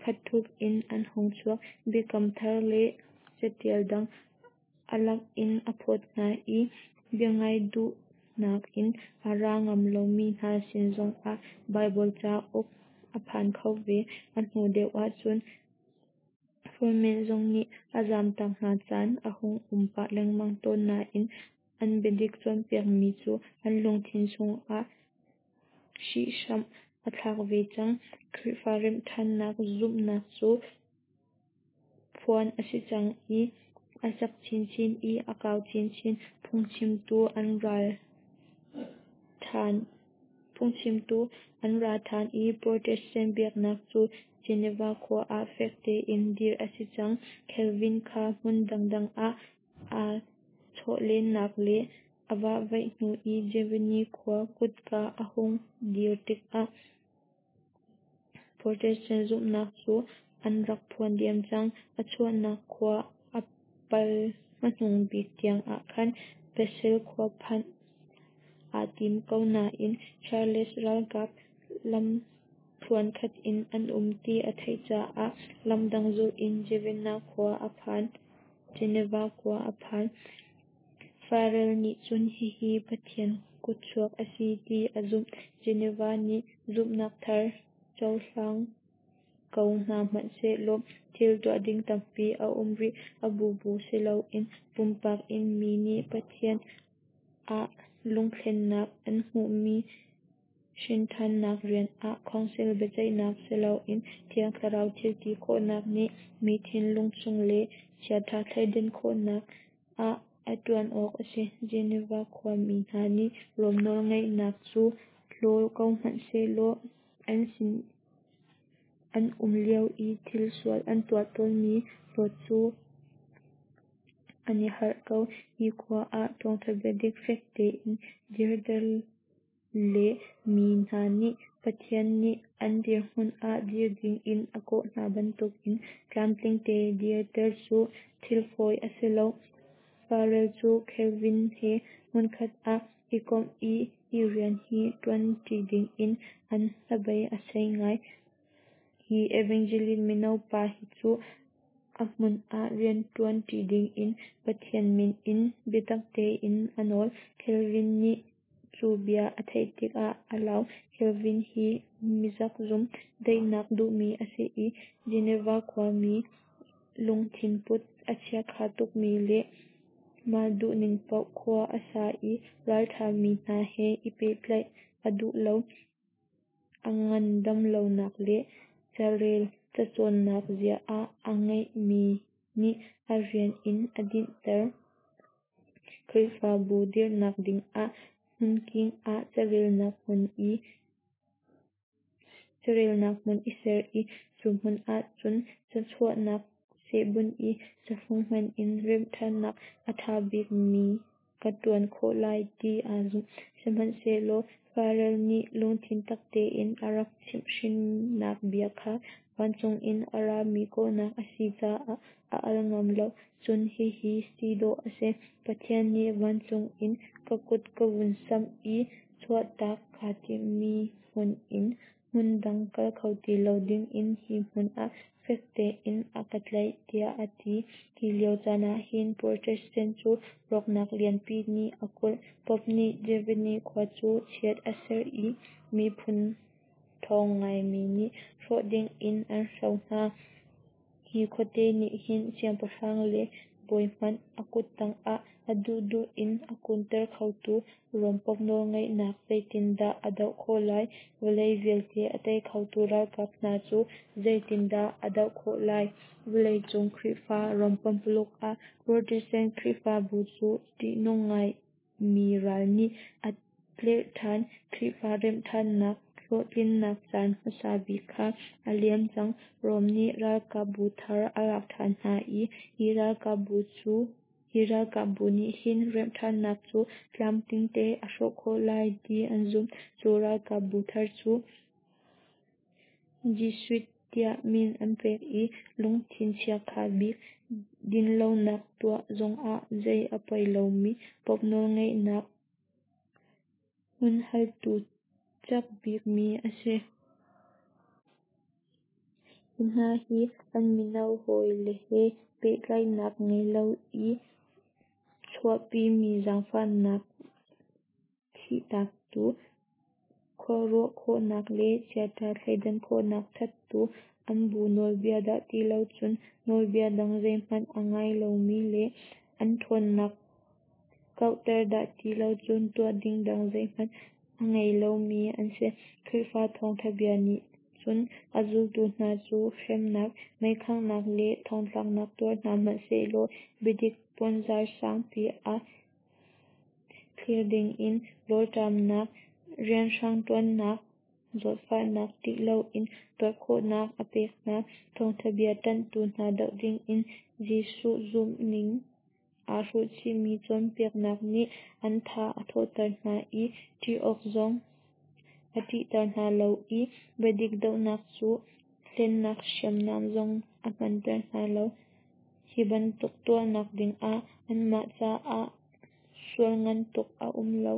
khat ṭhup in an hung chuak. Biakam Thar le caṭial dang a lak in a phawt hna i biangai duhnak in a ra ngam lomi hna sin zongah Baibal cauk a phan kho ve. A hnu deuh ahcun Foreman zong nih a zaamtak hna caan a hung um pah lengmang tawn nain an biadik cawnpiakmi cu an lungthin chungah hrihhram a thlak ve cang. Khrihfa remhṭhannak zumhnak cu phuan a si cang i a cak chinchin i a kau chinchin. Phungchimtu an ral ṭhan phungchimtu an ra ṭhan i Protestant biaknak cu Geneva khua ah fek tein dirh a si cang. Calvin kha hmun dangdang ah aa chawhlennak le a vahvaih hnu i Geneva khua kutka a hung dir tikah Protestant zumhnak cu an rak phuan diam cang. A chuahnak khua a pal hmanung bik tiang ah khan Basel khua phanh aa tim ko nain Charles ralkap lamthluan khat in an um ti a theih caah lamdang zulh in Geneva khua a phan. Geneva khua a phan. Farel nih cun hihi Pathian kutchuak a si ti a zumh. Geneva nih zumhnak thar cohlang ko hna hmanhsehlaw thil tuah ding tampi a um rih. A bubu si loin pumpak in mi nih Pathian ah lungthlennak an hmuhmi hrinṭhannak rian ah Council biaceihnak si loin Thiang Thlarau thilti khawhnak nih mi thinlung chung le chiaṭha thleidan khawhnak ah a ṭuan awk a si. Geneva khuami hna nih Rom nawlngeihnak cu hlaw ko hmanh sehlaw an sin an um lio i thil sual an tuah tawnmi hlawt cu an i harh ko. Hi khua ah thawngṭha bia dik fek tein dirter le mi hna nih Pathian nih an dirhmun ah dir dingin a kawh hna bantukin tlamtling tein dirter cu thil fawi a si lo. Farel cu Calvin he hmunkhat ah i komh i hi rian hi ṭuan ṭi dingin an hnabei a sei ngai. Hi evangelist mino pa hi cu a hmun ah rianṭuan ṭi dingin Pathian min in biatak tein a nawl. Calvin nih cu bia a theih tikah a lau. Calvin hi mizakzum, daihnak duhmi a si i Geneva khuami lungthinput a chiakha tukmi le mah duhning paoh khua a sa i ralṭhami hna he i pehtlaih a duh lo. A ngandam lonak le carel cacawnnak zia a ngeihmi nih a rian in a dinhter. Khrihfabu dirhnak dingah hmunking ah carelnak hmun i carelnak hmun i ser i cu hmun ahcun cachuahnak seh bunh i cafung hman in remhṭhannak a ṭha bikmi ka ṭuan khawh lai ti aa zumh. Sihmanhsehlaw Farel nih lungthin tak tein a rak chimhhrinnak bia kha vancung in a rami kawhnak a si caah a al ngam lo. Cun hihi si dawh a si: Pathian nih vancung in ka kut a vun samh i chuahtak kaa timhmi hmun in hmun dang kal kho ti lo dingin hi hmun ah fek tein a ka tlaih, tiah a ti. Hi lio caan ahhin Protestant cu rawknak lianpi nih a kulh. Pope nih Geneva khua cu chiat a serh i miphun ṭhawng ngaimi nih hrawh dingin an hro hna. Hi khuate nih hin siangpahrang le bawi hmanh a kuttang ah a duhduh in a kunter khotu Rom Pope nawlngeihnak zeitindah a doh khawh lai? Vawlei vialte a tei khotu ralkap hna cu zeitindah a doh khawh lai? Vawleicung Khrihfa ram pumpuluk ah Protestant Khrihfabu cu ṭihnung ngaimi ral nih a tlerh ṭhan. Khrihfa remhṭhannak hlawhtlinnak caan hmasa bik kha a liam cang. Rom nih ralkapbu thar a lak ṭhan hna i hi ralkapbu cu hi ralkapbu nih hin remhṭhannak cu tlamtlingte a hrawh khawh lai ti an zumh. Cu ralkapbu thar cu Jesuit tiah min an pek i lungthin chiakha bik, dinlonak tuah zongah zei a poi lomi Pope nawlngeihnak humhaltu cak bikmi a si. Hi hna hi an mino hawile he pehtlaihnak ngei lo i chuahpimi zaangfahnak thihtaktu, khuaruah khawhnak le chiaṭha thleidan khawhnak thattu, an bu nawlbia dah ti lo cun nawlbia dang zeihmanh a ngai lomi le an ṭhawnnak kauhter dah ti lo cun tuah ding dang zeihmanh a ngei lomi an si. Khrihfa thawngṭha bia nih cun a zultu hna cu hremnak, meikhanghnak le thongtlaknak tuar hna hmanh sehlaw biadik puanzar sangpi ah thlir dingin rawlṭamnak, rianhrang ṭuannak, zawtfahnak ṭih loin tuar khawhnak a pek hna. Thawngṭha bia ṭanhtu hna doh dingin Jesuh zumhning aa hruhchihmi cawnpiaknak nih an tha a thawhter hna i ṭih awk zong a ṭihter hna lo i biadik dohnak cu hlennak hriamnam zong a hmanter hna lo. Hi bantuk tuahnak dingah anmah caah sual ngan tuk a um lo.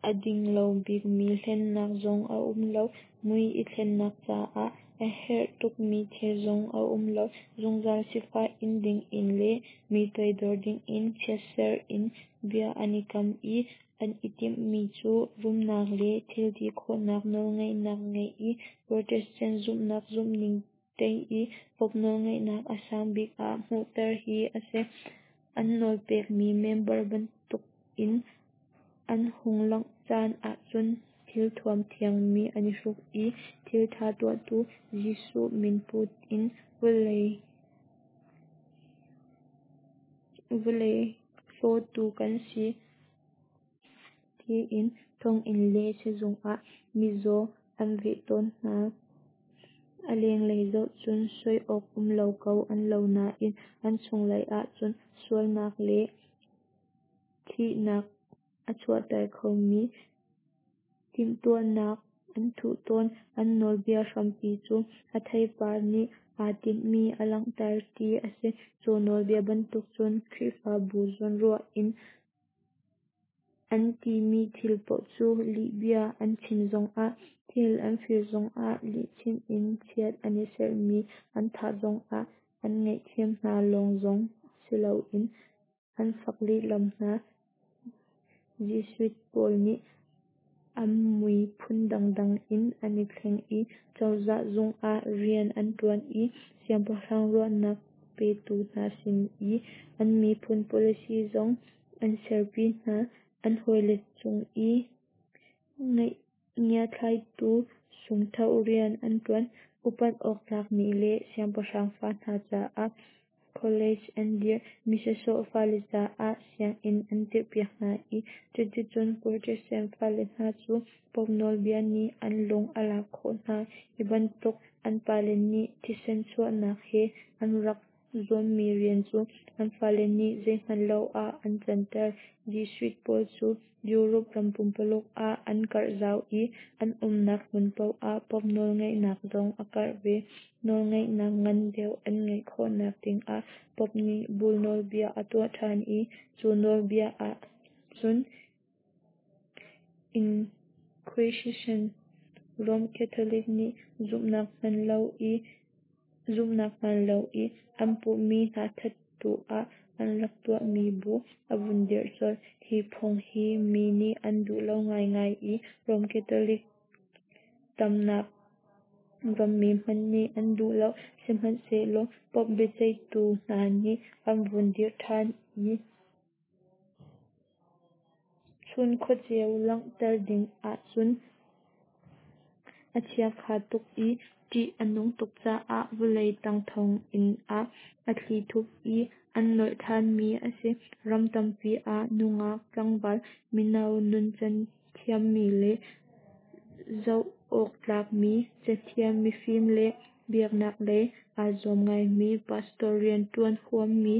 A ding lo bikmi hlennak zong a um lo. Mui i thlennak caah a herh tukmi thil zong a um lo. Zungzal sifah in dingin le mi toidor dingin chiatser in bia an i kam i an i timhmi cu rumnak le thilti khawhnak nawlngeihnak ngeih i Protestant zumhnak zumhning tei i Pope nawlngeihnak a sang bik ah hmuhter hi a si. An nawlpekmi member bantukin an hung langh caan ahcun thilthuam thiangmi an i hruk i thilṭha tuahtu Jesuh min put in vawlei vawlei hlawtu kan si tiin thonginn le sizung ah mizaw an veh tawn hna. A lenglei zoh cun soi awk um lo ko an lo nain an chunglei ahcun sualnak le thihnak a chuahter khomi timhtuahnak an thuh tawn. An nawlbia hrampi cu a theipar nih aa tinhmi a langhter ti a si. Cu nawlbia bantuk cun Khrihfabu zawnruah in an timi thil paoh cu lihbia an chim zongah, thil an fir zongah, lihchim in chiat an i serhmi an thah zongah an ngaihthiam hna lawng zong si loin an fak lehlam hna. Jesuit pawl nih an mui phun dangdang in an i thleng i cozah zung ah rian an ṭuan i siangpahrang ruahnak petu hna sin i an miphun policy zong an serpi hna. An hawile cung i ngiathlaitu sungthoh rian an ṭuan. Upat awk tlakmi le siangpahrang fa hna caah college an dirh. Mi sawsawh fale caah sianginn an dirhpiak hna i cuticun Protestant fale hna cu Pope nawlbia nih an lung a lak khawh hna. Hi bantuk an pale nih thisen chuahnak he an rak zuammi rian cu an fale nih zeihmanh lo ah an canter. Jesuit pawl cu Europe ram pumpuluk ah an karh zau i an umnak hmun paoh ah Pope nawlngeihnak zong a karh ve. Nawlngeihnak ngan deuh an ngeih khawhnak dingah Pope nih bull nawlbia a tuah ṭhan i cu nawlbia ah cun Inquisition Rome Catholic nih zumhnak hman lo i zumhnak hmaan lo i an puhmi hna thattu ah an rak tuahmi bu a vun dirh colh. Hi phung hi mi nih an duh lo ngaingai i Rome Catholic tamnak rammi hmanh nih an duh lo. Sihmanhsehlaw Pope biaceihtu hna nih an vun dirh ṭhan i chun khuaceu langhter ding ahcun a chiakha tuk i ṭih a nung tuk caah vawlei tang thonginn ah a thlithup i an nolh ṭhanmi a si. Ram tampi ah nungak tlangval mino nuncan thiammi le zoh awk tlakmi cathiam mifim le biaknak lei aa zuam ngaimi pastor rianṭuan huammi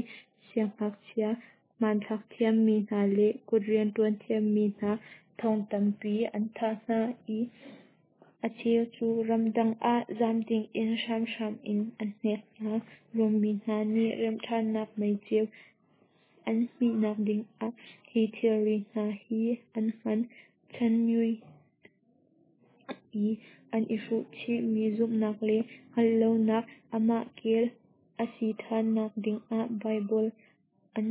siangngakchia hmanthlak thiammi hna le kut rianṭuan thiammi hna thong tampi an thah hna i a cheu cu ramdang ah zaam dingin hramhram in an hnek hna. Rom mi hna nih remhṭhannak meiceu an hmihnak dingah hi thilri hna hi an hman. Chanmui i an i hruh chihmi zumhnak le hngalh lonak amah kel a si ṭhannak dingah Baibal an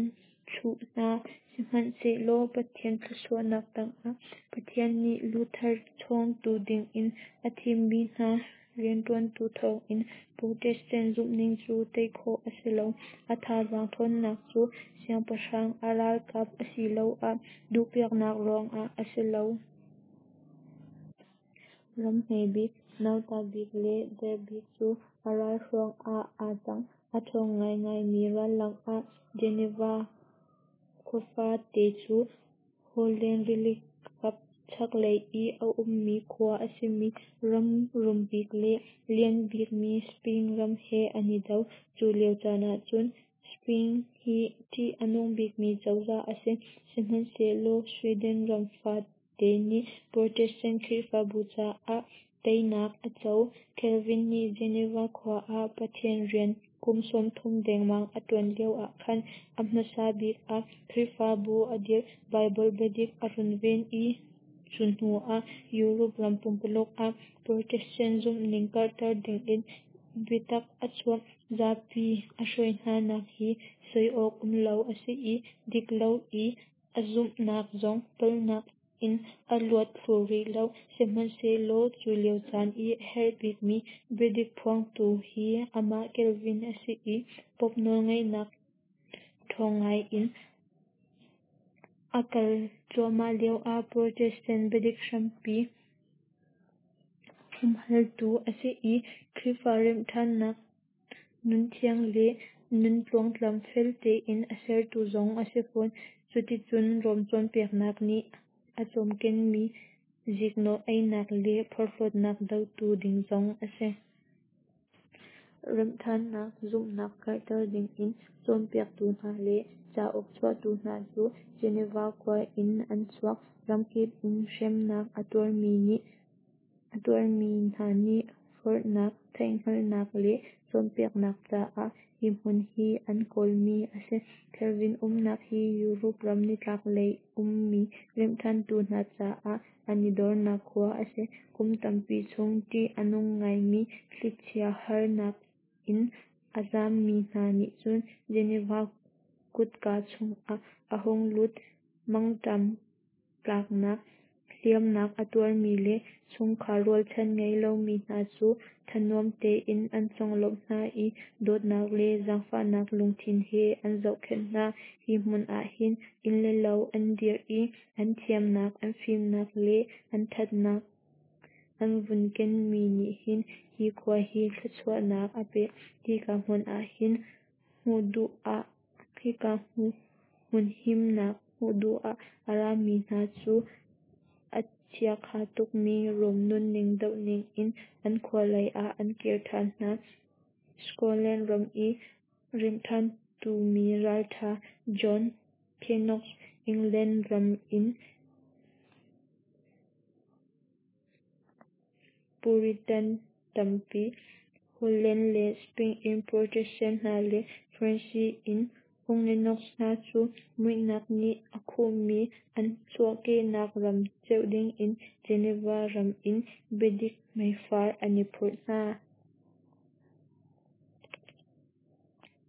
chuh hna. Sihmanhsehlaw Pathian thluachuahnak tangah Pathian nih Luther chawngtu dingin a thimmi hna rianṭuantu thawngin Protestant zumhning cu tei khawh a si lo. A thazaang ṭhawnnak cu siangpahrang a ralkap asiloah duhpiaknak ruangah a si lo. Ram hme bik, nauta bik le der bik cu a ralhruang ah aa cang. A ṭhawng ngaingaimi ral lakah Geneva khuafa te cu Holland rilikap chaklei i a ummi khua a simi ram rum bik le lian bikmi Spain ram he an i do. Cu lio caan ahcun Spain hi ṭih a nung bikmi cozah a si. Sihmanhsehlaw Sweden ram fate nih Protestant Khrihfabu caah teinak a co. Calvin nih Geneva khua ah Pathian rian kum sawmthum dengmang a ṭuan lio ah khan a hmasa bik ah Khrihfabu a dirh, Baibal biadik a runven i cu hnu ah Europe ram pumpuluk ah Protestant zumhning karhter dingin biatak a chuah. Zapi a hruai hnanak hi soi awk um lo a si i dik lo i a zumhnak zong palhnak in a luat thlu rih lo. Sihmanhsehlaw cu lio caan i a herh bikmi biadik phuangtu hi amah Calvin a si i Pope nawlngeihnak ṭhawng ngai in a kal cuahmah lioah Protestant biadik hrampi humhaltu a si i Khrihfa remhṭhannak nunthiang le nun tluangtlam fel tein a sertu zong a si fawn. Cuticun Rom cawnpiaknak nih a cawmkenmi ziknawh einak le porhlawtnak dotu ding zong a si. Remhṭhannak zumhnak karhter dingin cawnpiaktu hna le cauk chuahtu hna cu Geneva khua in an chuak. Ramkip in hremnak a tuarmi hna nih forhnak, theihhngalhnak le cawnpiaknak caah hi hmun hi an kawlmi a si. Calvin umnak hi Europe ram nitlaklei ummi remhṭhantu hna caah an i dornak khua a si. Kum tampi chung ṭih a nung ngaimi thlichia harnak in a zammi hna nih cun Geneva kutka chungah an hung lut. Mangṭam tlaknak, hliamnak a tuarmi le chungkhar rualchan ngei lomi hna cu thanuam tein an conglawmh hna i dawtnak le zaangfahnak lungthin he an zohkhenh hna. Hi hmun ah hin inn le lo an dirh i an thiamnak, an fimnak le an ṭhatnak an vun kenmi nih hin hi khua hi thluachuahnak a pek. Hika hmun ah him hmuh duh ah hika hmun himnak hmuh duh ah a rami hna cu a chiakha tukmi Rom nunning doh dingin an khua lei ah an kir ṭhan hna. Scotland ram i remhṭhantu mi ralṭha John Knox, England ram in Puritan tampi, Holland le Spain in Protestant hna le France in Huguenots hna cu muihnak nih a khuhmi an chuahkehnak ram ceuh dingin Geneva ram in biadik meifar an i phurh hna.